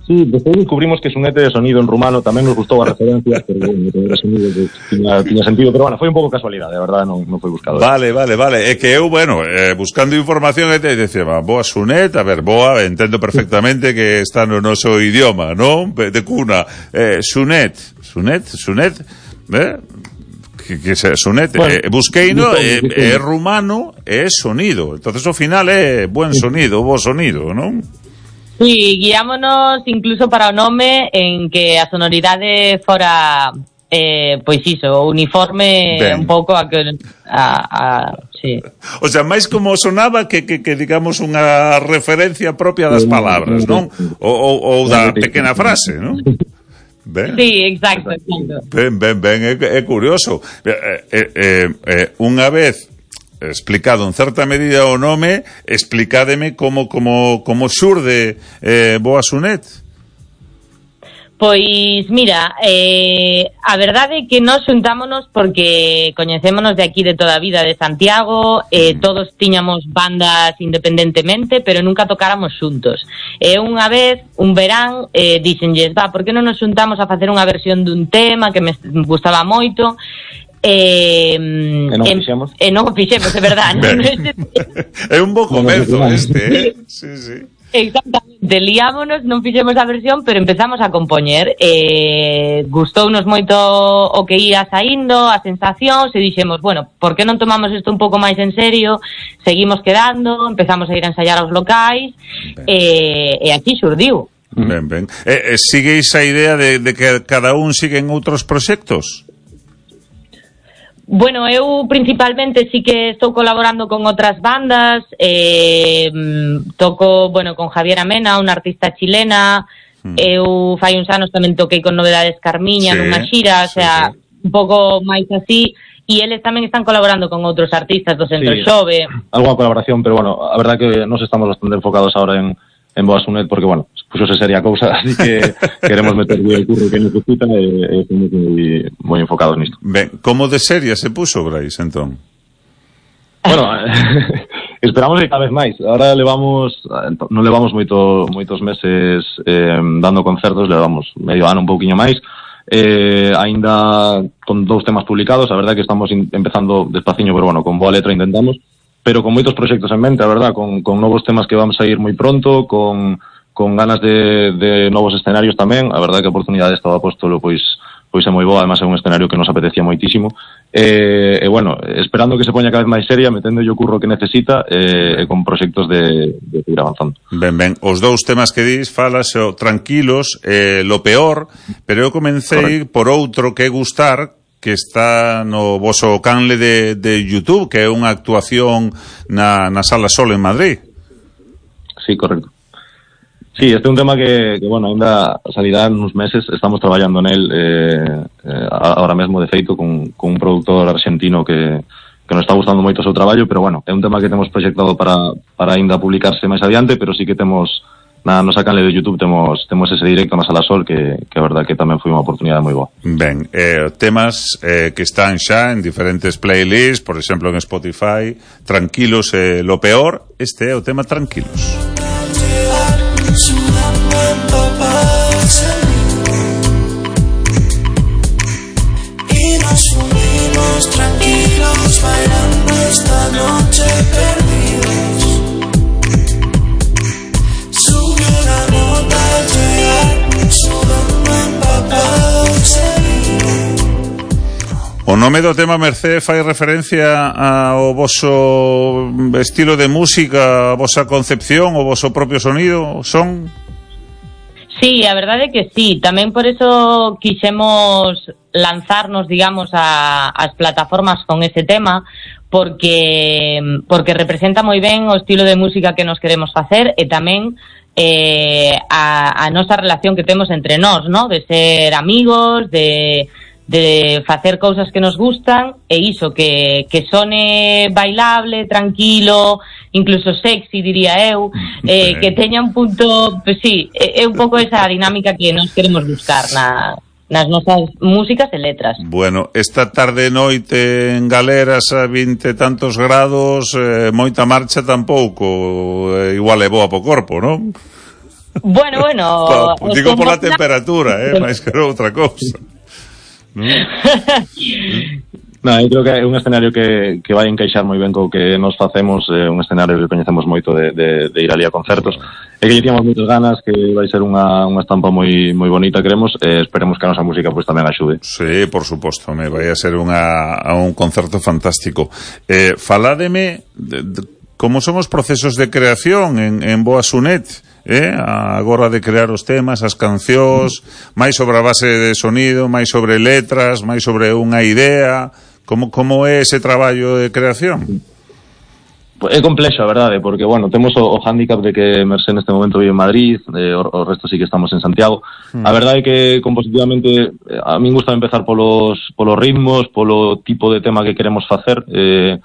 Sí, despois descubrimos que Sunet é sonido en rumano, tamén nos gustou a referencia, pero bueno, era sonido que tiña, tiña sentido, pero bueno, foi un pouco casualidade, a verdade non, non foi buscado. Vale, vale, vale, é que eu, bueno, eh, buscando información, e te decía, boa Sunet, a ver, boa, entendo perfectamente que está no noso idioma, non? De cuna, eh, Sunet, Sunet, Sunet, eh? que, que se Sunet, bueno, eh, busqueino, é eh, eh, rumano, é sonido, entonces ao final é buen sonido, bo sonido, non? Sí, guiámonos incluso para o nome en que a sonoridade fora eh, pois iso, uniforme ben. Un pouco a que a, a sí. O sea, máis como sonaba que, que, que digamos unha referencia propia das palabras, non? Ou, ou, ou da pequena frase, non? Ben. Sí, exacto, exacto. Ben, ben, ben, é, é curioso. Eh, eh, eh, eh, unha vez explicado en certa medida o nome, explicádeme como como como xurde eh, Boa Sunet. Pois, mira, eh, a verdade é que nós xuntámonos porque coñecémonos de aquí de toda a vida de Santiago, eh, todos tiñamos bandas independentemente, pero nunca tocáramos xuntos. E unha vez, un verán, eh, dixenlles, va, por que non nos xuntamos a facer unha versión dun tema que me gustaba moito? Eh, e non eh, fixemos e non fixemos, é verdade. É un bo comezo este, eh? Sí, sí. Exactamente, liámonos, non fixemos a versión, pero empezamos a compoñer. Eh, gustounos moito o que ia saindo, as sensacións, e dixemos, bueno, por que non tomamos isto un pouco máis en serio? Seguimos quedando, empezamos a ir a ensaiar aos locais, e, e aquí xurdiu. Ben, ben. Eh, eh, sigueis a idea de, de que cada un sigue en outros proxectos? Bueno, eu principalmente sí que estou colaborando con outras bandas, eh, toco, bueno, con Javiera Mena, unha artista chilena, mm. eu fai uns anos tamén toquei con Novedades Carmiña, sí, nunha xira, o sea, sí, sí. un pouco máis así, e eles tamén están colaborando con outros artistas do Centro sí, Xove. Algo a colaboración, pero bueno, a verdad que nos estamos bastante enfocados ahora en en Boa Sunet, porque, bueno, puxose seria cousa, así que queremos meter o curro que necesita e estamos moi, moi enfocados nisto. Ben, como de seria se puxo, Brais, entón? Bueno, Esperamos que cada vez máis. Ahora levamos, non levamos moito, moitos meses eh, dando concertos, levamos medio ano, un pouquiño máis. Eh, aínda con dous temas publicados, a verdade que estamos in, empezando despaciño, pero bueno, con boa letra intentamos, pero con moitos proxectos en mente, a verdade, con, con novos temas que vamos a ir moi pronto, con, con ganas de, de novos escenarios tamén. A verdade que a oportunidade desta do Apóstolo pois pois é moi boa, además é un escenario que nos apetecía moitísimo. E, e bueno, esperando que se poña cada vez máis seria, metendo o curro que necesita e, e con proxectos de, de seguir avanzando. Ben, ben, os dous temas que dis, falas o Tranquilos, eh, Lo Peor, pero eu comecei Correcto. por outro que é Gustar, que está no voso canle de, de YouTube, que é unha actuación na, na Sala Sol en Madrid. Sí, correcto. Sí, este é un tema que, que bueno, ainda salirá en uns meses, estamos traballando nel eh, eh, ahora mesmo, de feito, con, con un productor argentino que, que nos está gustando moito o seu traballo, pero bueno, é un tema que temos proxectado para, para ainda publicarse máis adiante, pero sí que temos, na nosa canle de YouTube, temos, temos ese directo na Sala Sol, que, que a verdad que tamén foi unha oportunidade moi boa. Ben, eh, temas eh, que están xa en diferentes playlists, por exemplo en Spotify, Tranquilos, eh, Lo Peor, este é o tema Tranquilos. Sudando empapados en mí y nos fundimos tranquilos bailando esta noche perdidos. Subió la nota al llegar, sudando empapados en mí. O nome do tema Mercé fai referencia ao voso estilo de música, a vosa concepción, o voso propio sonido, son? Sí, a verdade é que sí, tamén por eso quixemos lanzarnos, digamos, a, as plataformas con ese tema, porque porque representa moi ben o estilo de música que nos queremos facer e tamén eh, a, a nosa relación que temos entre nós, ¿no? De ser amigos, de de facer cousas que nos gustan e iso, que, que sone bailable, tranquilo, incluso sexy, diría eu, eh, que teña un punto, pues sí, é, é un pouco esa dinámica que nos queremos buscar na, nas nosas músicas e letras. Bueno, esta tarde noite en Galeras a vinte tantos grados, eh, moita marcha tampouco, eh, igual é boa po corpo, non? Bueno, bueno... Pa, digo pola temperatura, eh, máis que outra cousa. No, eu creo que é un escenario que, que vai encaixar moi ben co que nos facemos, é un escenario que coñecemos moito de, de, de ir ali a concertos, e que tíamos moitas ganas, que vai ser unha, unha estampa moi moi bonita, queremos, e esperemos que a nosa música pues, tamén axude. Sí, por suposto, me vai a ser unha, a un concerto fantástico. Eh, faládeme de, de, como son os procesos de creación en, en Boa Sunet, eh? agora de crear os temas, as cancións, máis sobre a base de sonido, máis sobre letras, máis sobre unha idea. Como, como é ese traballo de creación? É complexo, a verdade, porque, bueno, temos o, o hándicap de que Mercé neste momento vive en Madrid, eh, o, o resto sí que estamos en Santiago. Mm. A verdade é que compositivamente a min gusta empezar polos, polos ritmos, polo tipo de tema que queremos facer. Eh,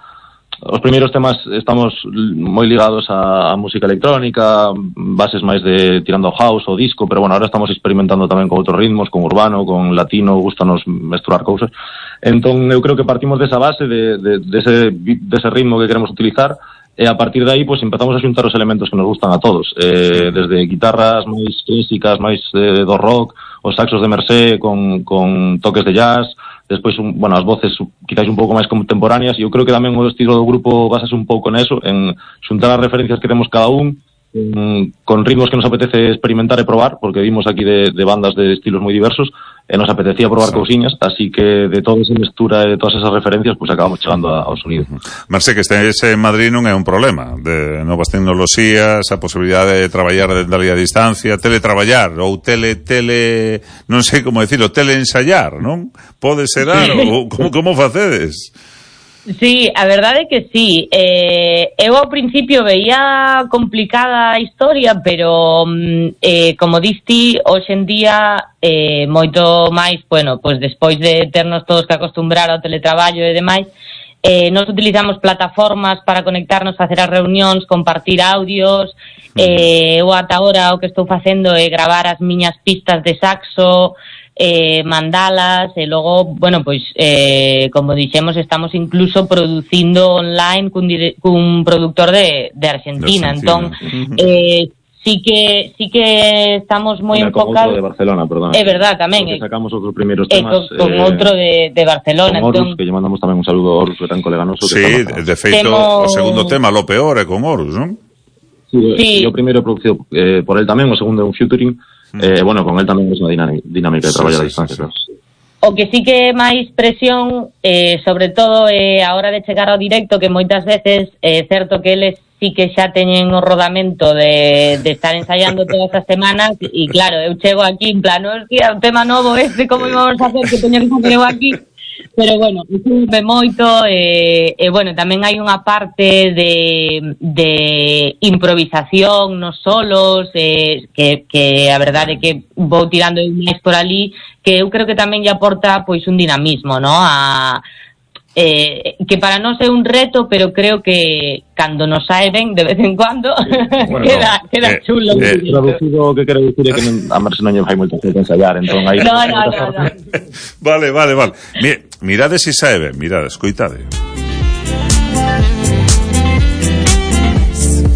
os primeiros temas estamos moi ligados a, a música electrónica, bases máis de tirando ao house ou disco, pero bueno, ahora estamos experimentando tamén con outros ritmos, con urbano, con latino, gustanos mesturar cousas. Entón, eu creo que partimos desa base, de, de, de ese, de ese ritmo que queremos utilizar, e a partir de aí, pues, empezamos a xuntar os elementos que nos gustan a todos, eh, desde guitarras máis clásicas, máis eh, do rock, os saxos de Mercé con, con toques de jazz, despois, un, bueno, as voces quizás un pouco máis contemporáneas, e eu creo que tamén o estilo do grupo basase un pouco neso, en xuntar as referencias que temos cada un, en, con ritmos que nos apetece experimentar e probar, porque vimos aquí de, de bandas de estilos moi diversos, e nos apetecía probar sí. cousiñas, así que de toda esa mestura e de todas esas referencias, pues acabamos chegando ao sonido. Marce, que estés en Madrid non é un problema, de novas tecnoloxías, a posibilidade de traballar dende ali a distancia, teletraballar, ou tele, tele, non sei como decirlo, teleensayar, non? Pode ser algo, como, como facedes? Sí, a verdade é que sí. Eh, eu ao principio veía complicada a historia, pero eh, como diste, hoxe en día eh, moito máis, bueno, pois despois de ternos todos que acostumbrar ao teletraballo e demais, eh, nos utilizamos plataformas para conectarnos, facer as reunións, compartir audios. Eh, eu ata agora o que estou facendo é gravar as miñas pistas de saxo, eh, mandalas, e logo, bueno, pois, eh, como dixemos, estamos incluso producindo online cun, dire, cun productor de, de Argentina, de Argentina. Entón, eh, sí que sí que estamos moi enfocados. Outro de Barcelona, perdón. É verdad, tamén. Porque sacamos outros primeiros temas. Con, con eh, outro de, de Barcelona. Con Horus, entón... que lle mandamos tamén un saludo a Horus, que tan colega noso. Sí, de, de feito, Temo... o segundo tema, lo peor, é con Horus, non? Sí, sí. O primeiro producido eh, por el tamén, o segundo é un featuring. Mm. Eh, bueno, con el tamén é unha dinámica de traballar sí, sí, a distancia. Sí, sí. O que sí que é máis presión, eh, sobre todo é eh, a hora de chegar ao directo, que moitas veces é eh, certo que eles sí que xa teñen o rodamento de, de estar ensaiando todas as semanas, e claro, eu chego aquí en plan, hostia, un tema novo este, como íbamos a hacer, que teño que facer eu aquí? Pero bueno, me moito, e, e bueno, tamén hai unha parte de, de improvisación nos solos, eh, que, que a verdade é que vou tirando máis por ali, que eu creo que tamén lle aporta pois un dinamismo, ¿no? A Eh, que para nós é un reto, pero creo que cando nos sae ben de vez en cuando bueno, queda, no. queda eh, chulo. Eh, traducido o que quero dicir é que non, a Merce non lle fai moito que ensayar, entón aí no, no, no, no. Vale, vale, vale. Mi, mirade se sae ben, mirade, escoitade.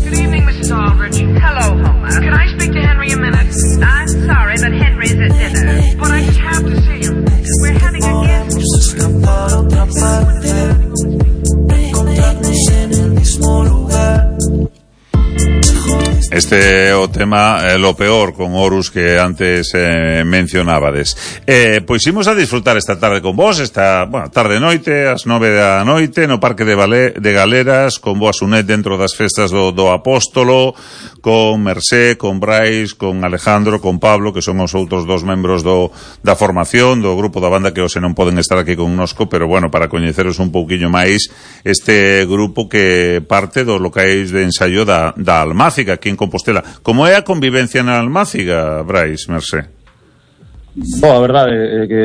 Good evening, missus Aldrich. Hello, Homer. Can I speak to Henry a minute? I'm sorry, but Henry's at dinner. But I just have to see him. We're having a guest. Este é o tema eh, lo peor con Horus que antes eh, mencionabades. Eh, pois imos a disfrutar esta tarde con vos, esta, bueno, tarde noite, ás nove da noite, no Parque de, Valé, de Galeras, con Boa Sunet dentro das festas do, do Apóstolo, con Mercé, con Brais, con Alejandro, con Pablo, que son os outros dos membros do, da formación, do grupo da banda, que hoxe non poden estar aquí connosco, pero bueno, para coñeceros un pouquiño máis este grupo que parte dos locais de ensaio da, da Almáciga, aquí en Compostela. Como é a convivencia na Almáciga, Brais, Mercé? Bo, a verdade é que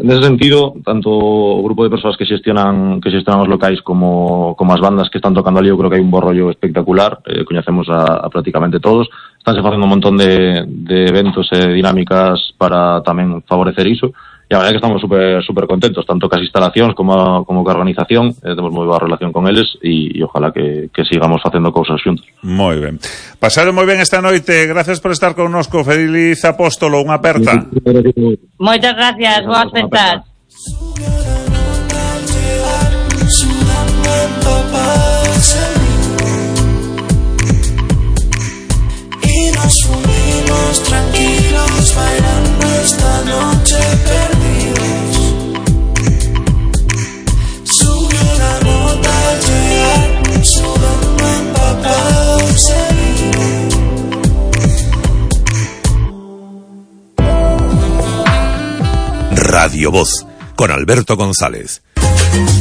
nese sentido, tanto o grupo de persoas que xestionan que xestionan os locais como, como as bandas que están tocando ali, eu creo que hai un bo rollo espectacular, eh, coñecemos a, a prácticamente todos, estánse facendo un montón de, de eventos e dinámicas para tamén favorecer iso, e a verdade é que estamos super, super contentos, tanto que as instalacións como, como que a organización, eh, temos moi boa relación con eles, e, e ojalá que, que sigamos facendo cousas xuntos. Moi ben. Pasaron moi ben esta noite, gracias por estar connosco, Feliz Apóstolo, unha aperta. Moitas gracias, boas festas. Y nos fuimos tranquilos bailando esta noche perdidos. Subió la nota al llegar, sudando empapados seguimos. Radio Voz, con Alberto González.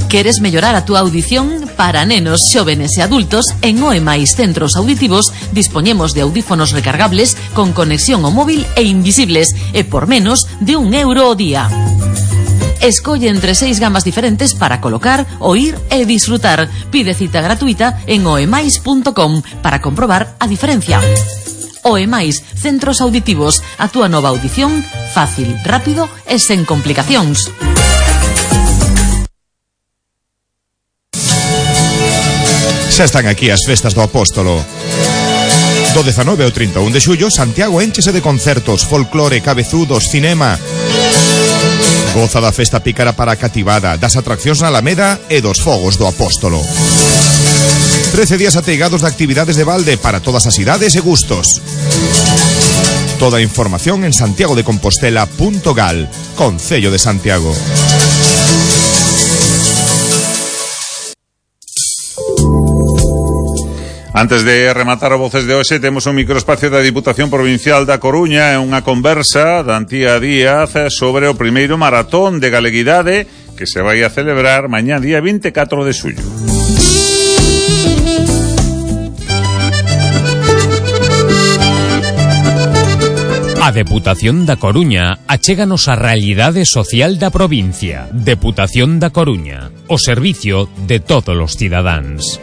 Queres mellorar a túa audición? Para nenos, xóvenes e adultos, en O E máis Centros Auditivos dispoñemos de audífonos recargables con conexión ao móvil e invisibles, e por menos de un euro ao día. Escolle entre seis gamas diferentes para colocar, oír e disfrutar. Pide cita gratuita en oemais punto com para comprobar a diferencia. O E máis Centros Auditivos, a túa nova audición fácil, rápido e sen complicacións. Xa están aquí as festas do Apóstolo. Do dezanove ao trinta e un de xullo, Santiago énchese de concertos, folclore, cabezudos, cinema. Goza da festa pícara para a cativada, das atraccións na Alameda e dos fogos do Apóstolo. trece días ateigados de actividades de balde para todas as idades e gustos. Toda a información en santiago de compostela punto gal, Concello de Santiago. Antes de rematar o Voces de hoxe, temos un microespacio da Diputación Provincial da Coruña e unha conversa da Antía Díaz sobre o primeiro maratón de galeguidade que se vai a celebrar mañá día vinte e catro de xullo. A Deputación da Coruña achéganos a realidade social da provincia. Deputación da Coruña, o servicio de todos os cidadáns.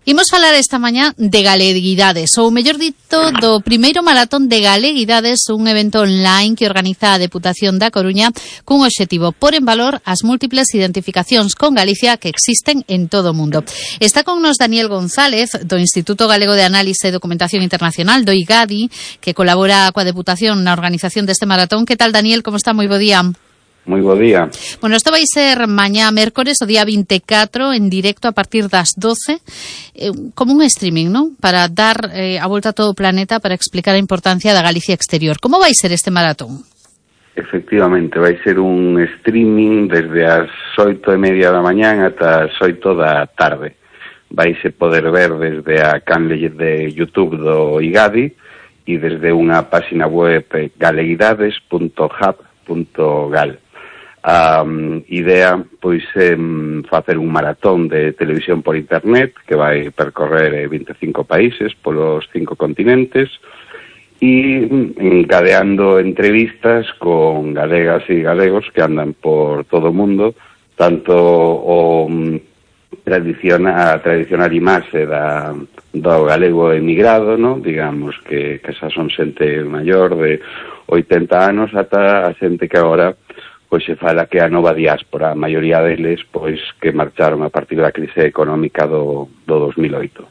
Imos falar esta mañá de Galeguidades, ou mellor dito, do primeiro maratón de Galeguidades, un evento online que organiza a Deputación da Coruña cun obxectivo por en valor as múltiples identificacións con Galicia que existen en todo o mundo. Está con nos Daniel González, do Instituto Galego de Análise e Documentación Internacional, do IGADI, que colabora coa Deputación na organización deste maratón. Que tal, Daniel? Como está? Moi bo día. Moi bo día. Bueno, isto vai ser mañá mércores, o día vinte e catro, en directo a partir das doce, eh, como un streaming, non? Para dar eh, a volta a todo o planeta para explicar a importancia da Galicia exterior. Como vai ser este maratón? Efectivamente, vai ser un streaming desde as oito e media da mañán ata as oito da tarde. Vaise poder ver desde a canle de YouTube do IGADI e desde unha página web galeguidades punto hub punto gal. A um, idea, pois, é um, facer un maratón de televisión por internet que vai percorrer eh, vinte e cinco países polos cinco continentes e encadeando entrevistas con galegas e galegos que andan por todo o mundo, tanto o um, tradicional, a tradicional imaxe da, do galego emigrado, no? Digamos que, que xa son xente maior de oitenta anos ata a xente que agora pois se fala que a nova diáspora, a maioría deles pois que marcharon a partir da crise económica do, do dos mil oito.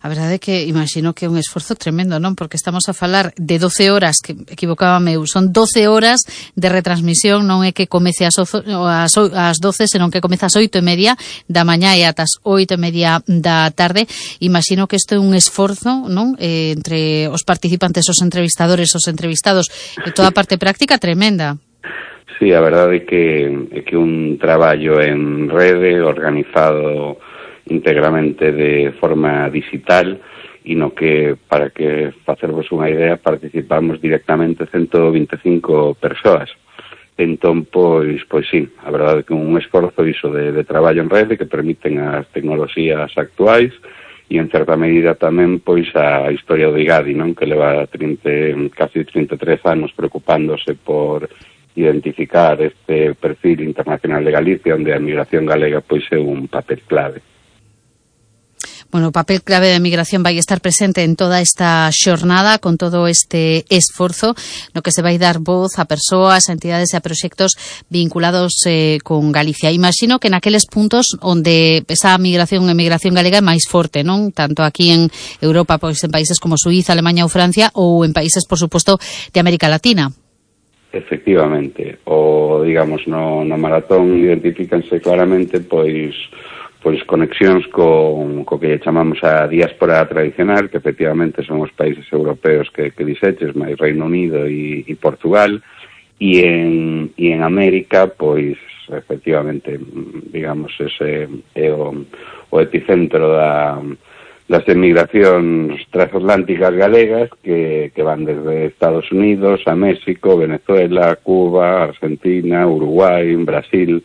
A verdade é que imagino que é un esforzo tremendo, non? Porque estamos a falar de doce horas, que equivocábame eu, son doce horas de retransmisión, non é que comece as, ozo, as, as doce, senón que comeza as oito e media da mañá e ata as oito e media da tarde. Imagino que isto é un esforzo, non? Eh, entre os participantes, os entrevistadores, os entrevistados, e toda a parte práctica tremenda. Sí, a verdade é que é que un traballo en rede organizado íntegramente de forma digital e no que, para que facervos unha idea, participamos directamente ciento vinte e cinco persoas. Entón, pois, pois sí, a verdade é que un esforzo iso de, de traballo en rede que permiten as tecnoloxías actuais e en certa medida tamén pois a historia do IGADI, non? Que leva trinta, casi trinta e tres anos preocupándose por identificar este perfil internacional de Galicia, onde a migración galega pois é un papel clave. Bueno, o papel clave da migración vai estar presente en toda esta xornada con todo este esforzo no que se vai dar voz a persoas, a entidades e a proxectos vinculados eh, con Galicia. Imagino que naqueles puntos onde esa migración e migración galega é máis forte, non? Tanto aquí en Europa, pois en países como Suíza, Alemanha ou Francia, ou en países, por suposto, de América Latina. Efectivamente, o, digamos, no, no maratón identifícanse claramente, pois, pois conexións con co que chamamos a diáspora tradicional, que efectivamente son os países europeos que, que dixeches, máis Reino Unido e, e Portugal, e en, e en América, pois, efectivamente, digamos, ese é o, o epicentro da... das emigracións transatlánticas galegas que, que van desde Estados Unidos a México, Venezuela, Cuba, Argentina, Uruguai, Brasil.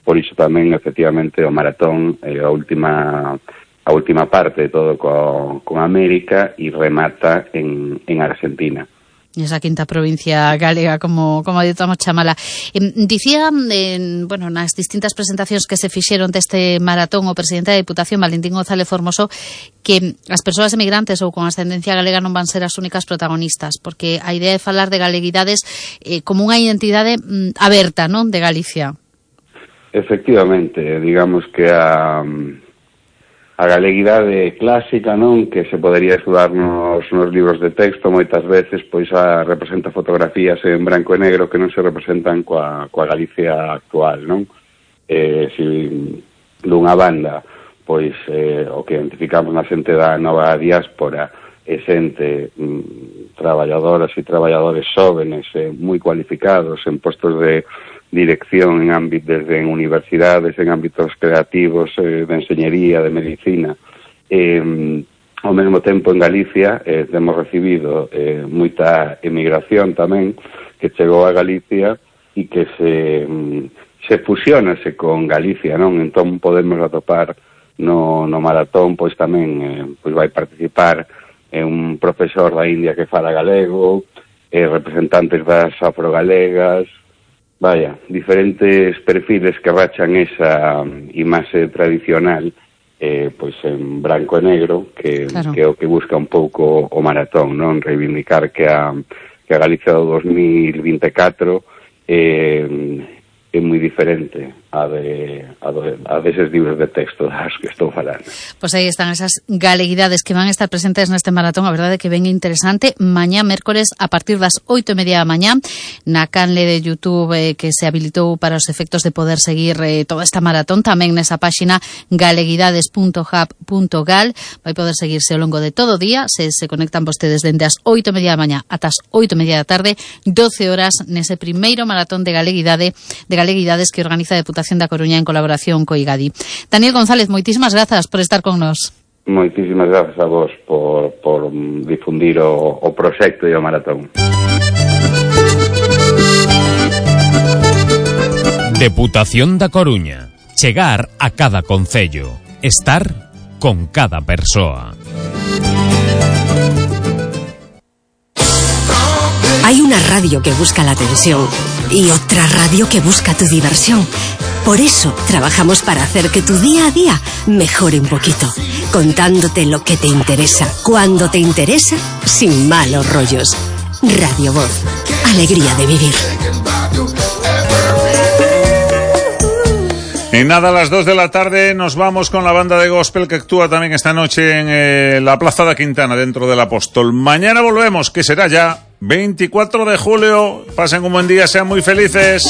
Por iso tamén, efectivamente, o maratón é a última a última parte de todo con, con América e remata en, en Argentina. Esa quinta provincia galega, como como ditamos chamala. Eh, dicía, eh, bueno, nas distintas presentacións que se fixeron deste maratón o presidente da Deputación, Valentín González Formoso, que as persoas emigrantes ou con ascendencia galega non van ser as únicas protagonistas, porque a idea de falar de galeguidades eh, como unha identidade mm, aberta, non, de Galicia. Efectivamente, digamos que a... a galeguidade clásica, non, que se podería estudar nos, nos libros de texto moitas veces, pois a representa fotografías en branco e negro que non se representan coa, coa Galicia actual, non? Eh, si dunha banda, pois eh, o que identificamos na xente da nova diáspora é xente mm, traballadoras e traballadores xóvenes eh, moi cualificados en postos de dirección en ámbitos desde en universidades, en ámbitos creativos, eh, de enseñería, de medicina. Eh, ao mesmo tempo en Galicia eh, temos recibido eh, moita emigración tamén que chegou a Galicia e que se, se fusionase con Galicia, non? Entón podemos atopar no, no maratón, pois tamén eh, pois vai participar eh, un profesor da India que fala galego, eh, representantes das afrogalegas, vaya, diferentes perfiles que rachan esa imaxe tradicional eh, pois en branco e negro, que, claro. que é o que busca un pouco o maratón, non? Reivindicar que a, que a Galicia do dos mil vinte e catro eh, é moi diferente a de a, de, a deses libros de texto das que estou falando. Pois aí están esas galeguidades que van a estar presentes neste maratón, a verdade que ben interesante. Mañá, mércores, a partir das oito e media da mañá, na canle de YouTube eh, que se habilitou para os efectos de poder seguir eh, toda esta maratón, tamén nesa páxina galeguidades punto hub punto gal, vai poder seguirse ao longo de todo o día, se se conectan vostedes dende as oito e media da mañá ata as oito e media da tarde, doce horas nese primeiro maratón de galeguidade, de galeguidades que organiza a Deputación da Coruña en colaboración co IGADI. Daniel González, moitísimas grazas por estar con nós. Moitísimas grazas a vos por, por difundir o, o proxecto e o maratón. Deputación da Coruña. Chegar a cada concello. Estar con cada persoa. Hay una radio que busca la atención y otra radio que busca tu diversión. Por eso trabajamos para hacer que tu día a día mejore un poquito, contándote lo que te interesa, cuando te interesa, sin malos rollos. Radio Voz, alegría de vivir. Y nada, a las dos de la tarde nos vamos con la banda de gospel que actúa también esta noche en eh, la Plaza da Quintana, dentro del Apóstol. Mañana volvemos, que será ya veinticuatro de julio. Pasen un buen día, sean muy felices.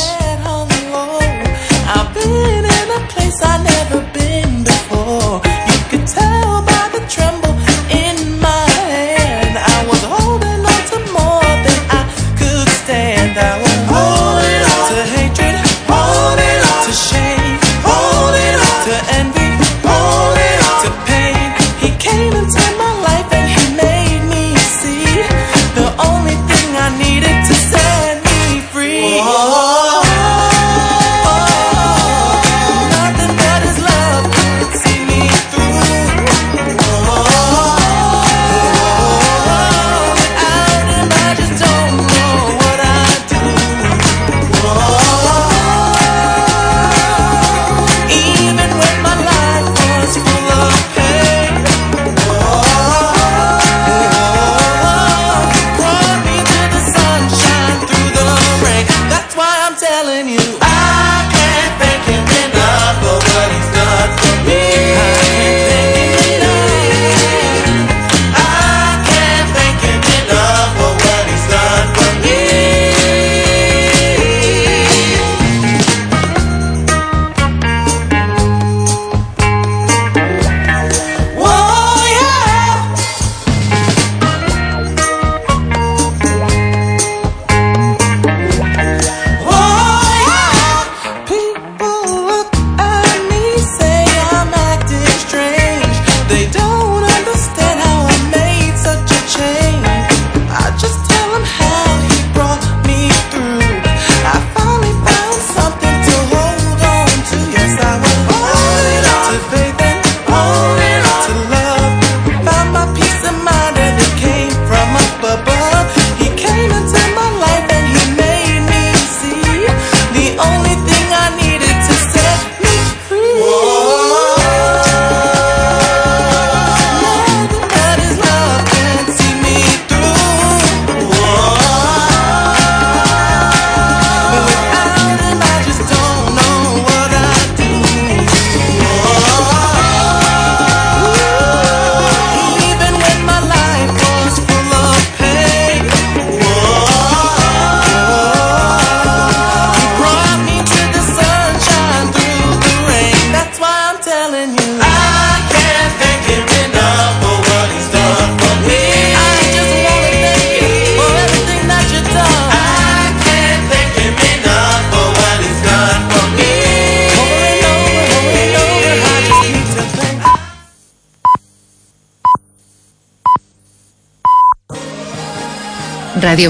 Radio